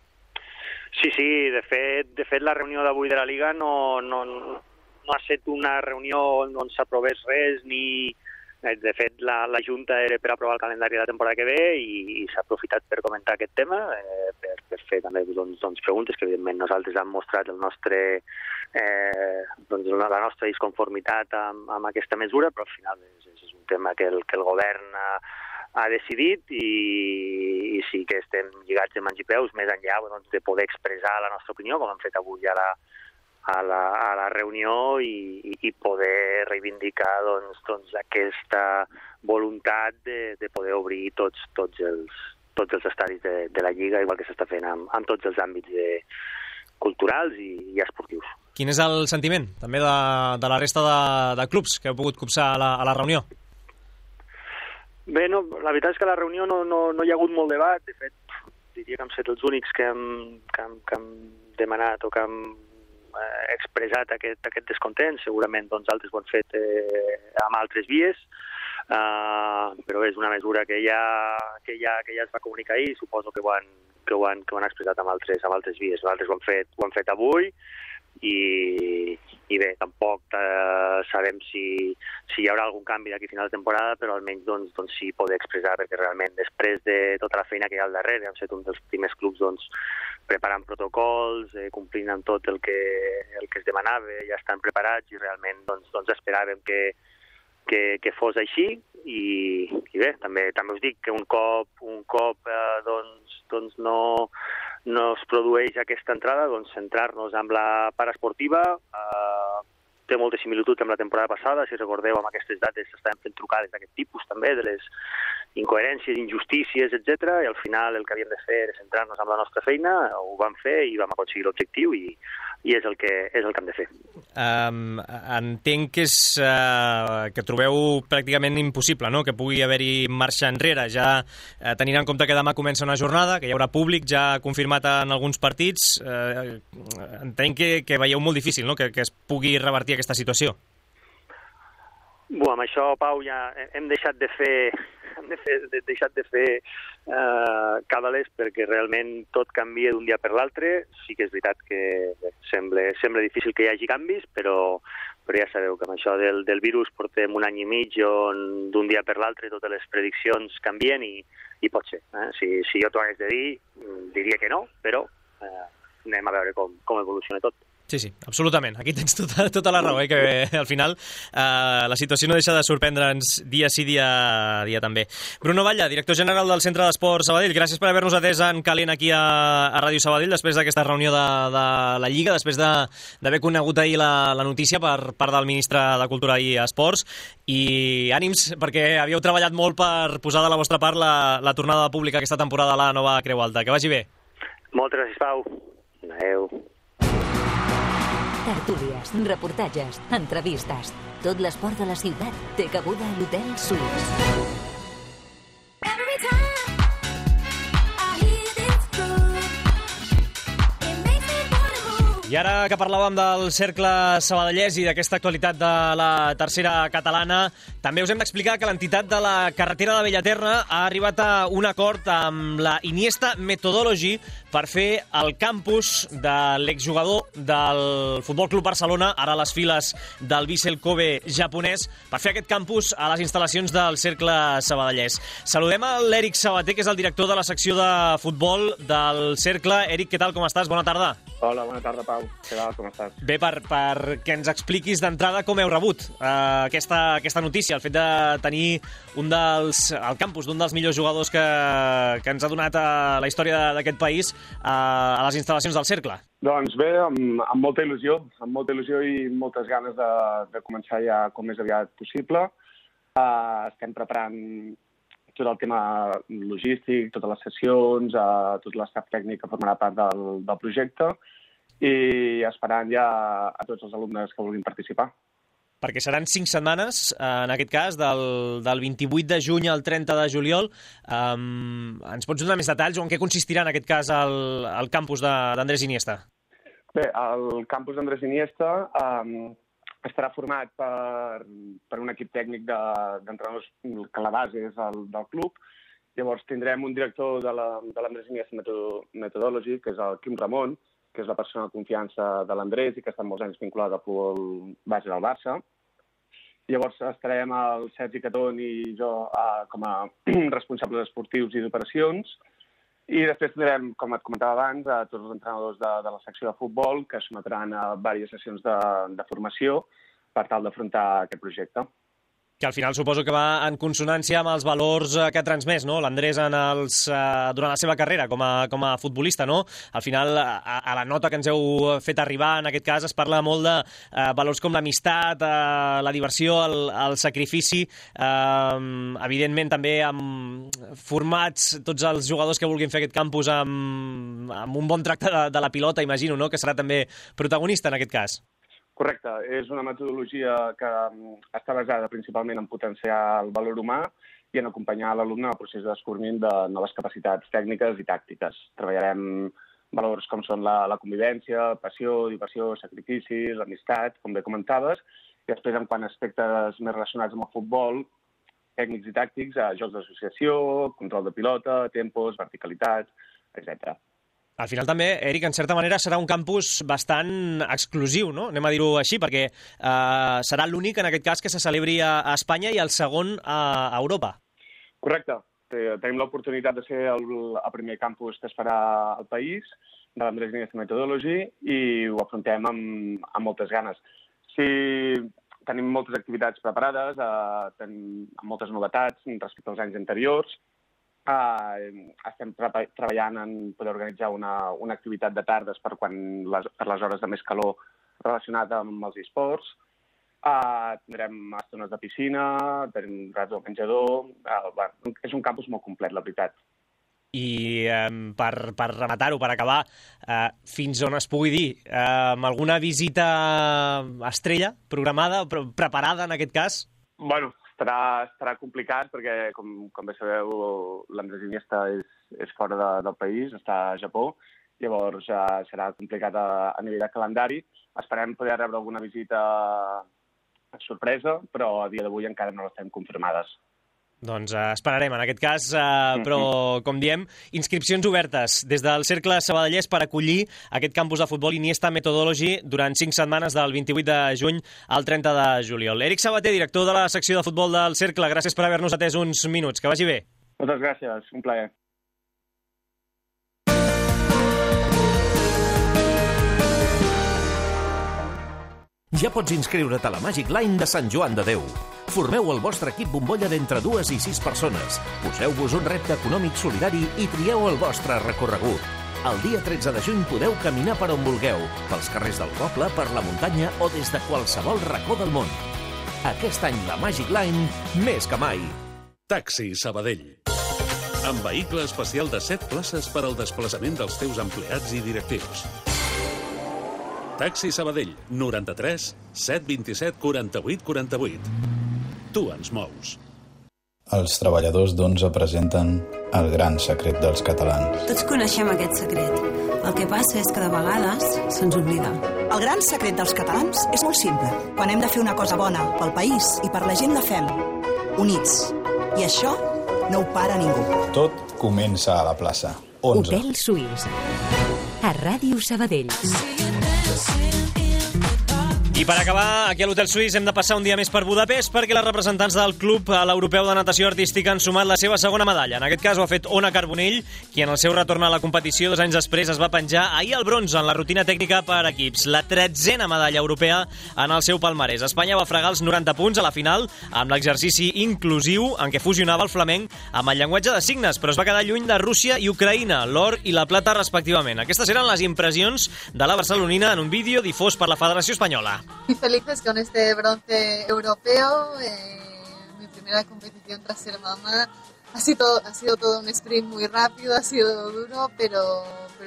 Speaker 19: Sí, de fet la reunió d'avui de la Lliga no ha estat una reunió on s'aprovés res, ni... De fet, la Junta era per aprovar el calendari de la temporada que ve i s'ha aprofitat per comentar aquest tema, per fer també preguntes que evidentment nosaltres hem mostrat la nostra disconformitat amb aquesta mesura, però al final és un tema que el govern ha decidit i sí que estem lligats de mans i peus més enllà de poder expressar la nostra opinió, com hem fet avui a la reunió i poder reivindicar aquesta voluntat de poder obrir tots els estadis de la Lliga, igual que s'està fent amb tots els àmbits culturals i esportius. Quin és el sentiment també de la resta de clubs que heu pogut copsar a la reunió? Bé, la veritat és que a la reunió no hi ha hagut molt debat. De fet, diria que hem estat els únics que hem demanat o que hem expressat aquest descontent. Segurament altres ho han fet amb altres vies, però és una mesura que ja es va comunicar ahir. Suposo que ho han expressat amb altres vies. Nosaltres ho hem fet avui i bé, tampoc sabem si hi haurà algun canvi d'aquí a final de temporada, però almenys sí poder expressar, perquè realment després de tota la feina que hi ha al darrere, hem estat un dels primers clubs preparant protocols, complint amb tot el que es demanava, ja estan preparats i realment esperàvem que fos així i bé, també us dic que un cop no es produeix aquesta entrada, centrar-nos en la part esportiva. Té molta similitud amb la temporada passada, si recordeu, amb aquestes dates s'estaven fent trucades d'aquest tipus també, de les incoherències, injustícies, etc. I al final el que havíem de fer era centrar-nos en la nostra feina, ho vam fer i vam aconseguir l'objectiu i és el que hem de fer.
Speaker 1: Entenc que trobeu pràcticament impossible, no?, que pugui haver-hi marxa enrere, ja tenint en compte que demà comença una jornada, que hi haurà públic ja confirmat en alguns partits. Entenc que veieu molt difícil, no?, que es pugui revertir aquesta situació.
Speaker 19: Amb això, Pau, ja hem deixat de fer càbales perquè realment tot canvia d'un dia per l'altre. Sí que és veritat que sembla difícil que hi hagi canvis, però ja sabeu que amb això del virus portem un any i mig on d'un dia per l'altre totes les prediccions canvien i pot ser. Si jo t'ho hagués de dir, diria que no, però anem a veure com evoluciona tot.
Speaker 1: Sí, absolutament. Aquí tens tota la raó, que al final la situació no deixa de sorprendre'ns dia sí, dia també. Bruno Batlle, director general del Centre d'Esport Sabadell, gràcies per haver-nos atès en calent aquí a Ràdio Sabadell després d'aquesta reunió de la Lliga, després d'haver conegut ahir la notícia per part del ministre de Cultura i Esports, i ànims, perquè havíeu treballat molt per posar de la vostra part la tornada pública aquesta temporada a la nova Creu Alta. Que vagi bé.
Speaker 19: Moltes gràcies, Pau. Adéu.
Speaker 3: Tertúlies, reportatges, entrevistes. Tot l'esport de la ciutat té cabuda a l'Hotel Suís.
Speaker 1: I ara que parlàvem del cercle sabadellès i d'aquesta actualitat de la tercera catalana, també us hem d'explicar que l'entitat de la carretera de Bellaterra ha arribat a un acord amb la Iniesta Methodology per fer el campus de l'exjugador del Futbol Club Barcelona, ara a les files del Vissel Kobe japonès, per fer aquest campus a les instal·lacions del cercle sabadellès. Saludem a l'Eric Sabater, que és el director de la secció de futbol del cercle. Eric, què tal, com estàs? Bona tarda.
Speaker 20: Hola, bona tarda, Pau. Què tal, com estàs?
Speaker 1: Bé, perquè ens expliquis d'entrada com heu rebut aquesta notícia, el fet de tenir el campus d'un dels millors jugadors que ens ha donat la història d'aquest país a les instal·lacions del cercle.
Speaker 20: Doncs bé, amb molta il·lusió i moltes ganes de començar ja com més aviat possible. Estem preparant tot el tema logístic, totes les sessions, tot l'estaf tècnic que formarà part del projecte i esperant ja a tots els alumnes que vulguin participar.
Speaker 1: Perquè seran 5 setmanes, en aquest cas, del 28 de juny al 30 de juliol. Ens pots donar més detalls o en què consistirà, en aquest cas, el campus d'Andrés Iniesta?
Speaker 20: Bé, el campus d'Andrés Iniesta estarà format per un equip tècnic d'entrenadors que la base és del club. Llavors tindrem un director de l'Andrés Iniesta Methodology, que és el Quim Ramon, que és la persona de confiança de l'Andrés i que està molts anys vinculat al futbol base del Barça. Llavors estarem el Sergi Catón i jo com a responsables esportius i d'operacions. I després tindrem, com et comentava abans, a tots els entrenadors de la secció de futbol que es sotmetran a diverses sessions de formació per tal d'afrontar aquest projecte.
Speaker 1: Que al final suposo que va en consonància amb els valors que ha transmès, no?, l'Andrés durant la seva carrera com a futbolista, no? Al final, a la nota que ens heu fet arribar, en aquest cas, es parla molt de valors com l'amistat, la diversió, el sacrifici, evidentment també amb formats tots els jugadors que vulguin fer aquest campus amb un bon tracte de la pilota, imagino, no?, que serà també protagonista en aquest cas.
Speaker 20: Correcte, és una metodologia que està basada principalment en potenciar el valor humà i en acompanyar l'alumne al procés de descobriment de noves capacitats tècniques i tàctiques. Treballarem valors com són la convivència, passió, diversió, sacrifici, l'amistat, com bé comentaves, i després en quant a aspectes més relacionats amb el futbol, tècnics i tàctics, jocs d'associació, control de pilota, tempos, verticalitat, etc.
Speaker 1: Al final també, Eric, en certa manera serà un campus bastant exclusiu, no? Anem a dir-ho així, perquè serà l'únic, en aquest cas, que se celebri a Espanya i el segon a Europa.
Speaker 20: Correcte. Tenim l'oportunitat de ser el primer campus que es farà al país, de l'Andrés Iniesta Methodology, i ho afrontem amb moltes ganes. Sí, tenim moltes activitats preparades, tenim moltes novetats respecte als anys anteriors. Estem treballant en poder organitzar una activitat de tardes per les hores de més calor relacionada amb els esports Tindrem estones de piscina, tenim rats del menjador... És un campus molt complet, la veritat.
Speaker 1: I per rematar-ho, per acabar, fins on es pugui dir, alguna visita estrella programada, preparada en aquest cas?
Speaker 20: Bueno, estarà complicat perquè, com bé sabeu, l'Andrés Iniesta és fora del país, està a Japó, llavors serà complicat a nivell de calendari. Esperem poder rebre alguna visita sorpresa, però a dia d'avui encara no l'estem confirmades.
Speaker 1: Doncs esperarem, en aquest cas, però, com diem, inscripcions obertes des del Cercle Sabadellès per acollir aquest campus de futbol Iniesta Methodology durant 5 setmanes del 28 de juny al 30 de juliol. Eric Sabater, director de la secció de futbol del Cercle, gràcies per haver-nos atès uns minuts. Que vagi bé.
Speaker 20: Moltes gràcies, un plaer.
Speaker 21: Ja pots inscriure't a la Magic Line de Sant Joan de Déu. Formeu el vostre equip bombolla d'entre 2 i 6 persones. Poseu-vos un repte econòmic solidari i trieu el vostre recorregut. El dia 13 de juny podeu caminar per on vulgueu, pels carrers del poble, per la muntanya o des de qualsevol racó del món. Aquest any la Magic Line, més que mai.
Speaker 22: Taxi Sabadell. Amb vehicle especial de 7 places per al desplaçament dels teus empleats i directius. Taxi Sabadell, 93 727 48 48. Tu ens mous.
Speaker 23: Els treballadors d'11 presenten el gran secret dels catalans.
Speaker 24: Tots coneixem aquest secret. El que passa és que de vegades se'ns oblida.
Speaker 25: El gran secret dels catalans és molt simple. Quan hem de fer una cosa bona pel país i per la gent la fem, units. I això no ho para ningú.
Speaker 23: Tot comença a la plaça. 11.
Speaker 3: Hotel Suís. A Ràdio Sabadell.
Speaker 1: I per acabar, aquí a l'Hotel Suís hem de passar un dia més per Budapest perquè les representants del Club a l'Europeu de Natació Artística han sumat la seva segona medalla. En aquest cas ho ha fet Ona Carbonell, qui en el seu retorn a la competició 2 anys després es va penjar ahir el bronze en la rutina tècnica per equips. La 13a medalla europea en el seu palmarès. Espanya va fregar els 90 punts a la final amb l'exercici inclusiu en què fusionava el flamenc amb el llenguatge de signes, però es va quedar lluny de Rússia i Ucraïna, l'or i la plata respectivament. Aquestes eren les impressions de la barcelonina en un vídeo difós per la Federació Espanyola.
Speaker 26: Muy felices con este bronce europeo, mi primera competición tras ser mamá. Ha sido todo un sprint muy rápido, ha sido duro, pero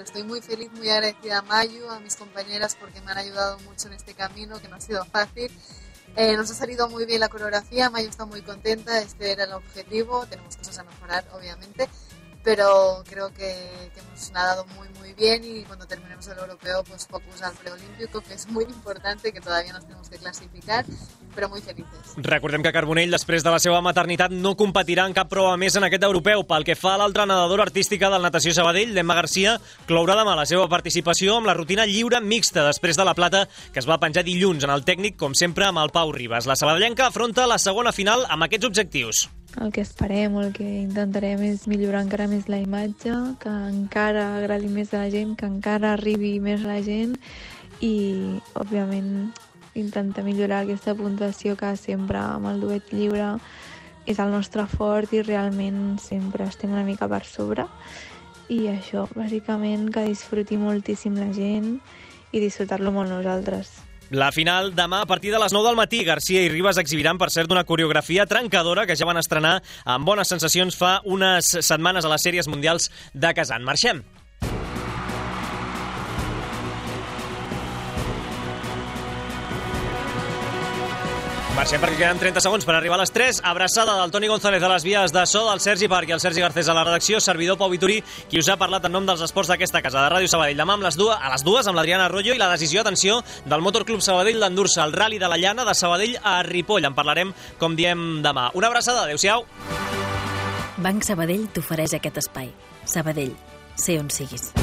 Speaker 26: estoy muy feliz, muy agradecida a Mayu, a mis compañeras porque me han ayudado mucho en este camino, que no ha sido fácil. Nos ha salido muy bien la coreografía, Mayu está muy contenta, este era el objetivo, tenemos cosas a mejorar obviamente, pero creo que hemos nadado muy bien y cuando terminemos el europeo pues focus al preolímpico, que es muy importante, que todavía nos tenemos que clasificar, però muy felices.
Speaker 1: Recordem que Carbonell, després de la seva maternitat, no competirà en cap prova més en aquest europeu. Pel que fa a l'altra nedadora artística del Natació Sabadell, l'Emma Garcia, clourà demà la seva participació amb la rutina lliure mixta després de la plata que es va penjar dilluns en el tècnic, com sempre, amb el Pau Ribas. La sabadellenca afronta la segona final amb aquests objectius.
Speaker 27: El que esperem, el que intentarem és millorar encara més la imatge, que encara agradi més a la gent, que encara arribi més a la gent i, òbviament, intentar millorar aquesta puntuació que sempre amb el duet lliure és el nostre fort i realment sempre estem una mica per sobre. I això, bàsicament, que disfruti moltíssim la gent i disfrutar-lo molt nosaltres.
Speaker 1: La final demà a partir de les 9 del matí. Garcia i Ribas exhibiran, per cert, una coreografia trencadora que ja van estrenar amb bones sensacions fa unes setmanes a les sèries mundials de Kazan. Marxem! Marxem perquè queden 30 segons per arribar a les 3. Abraçada del Toni González a les vies de so, del Sergi Parc i el Sergi Garcés a la redacció, servidor Pau Vitorí, qui us ha parlat en nom dels esports d'aquesta casa, de Ràdio Sabadell. Demà a les 2 amb l'Adriana Arroyo i la decisió, atenció, del Motor Club Sabadell d'endur-se al Rally de la Llana de Sabadell a Ripoll. En parlarem, com diem, demà. Una abraçada, adeu-siau.
Speaker 2: Banc Sabadell t'ofereix aquest espai. Sabadell, sé on siguis.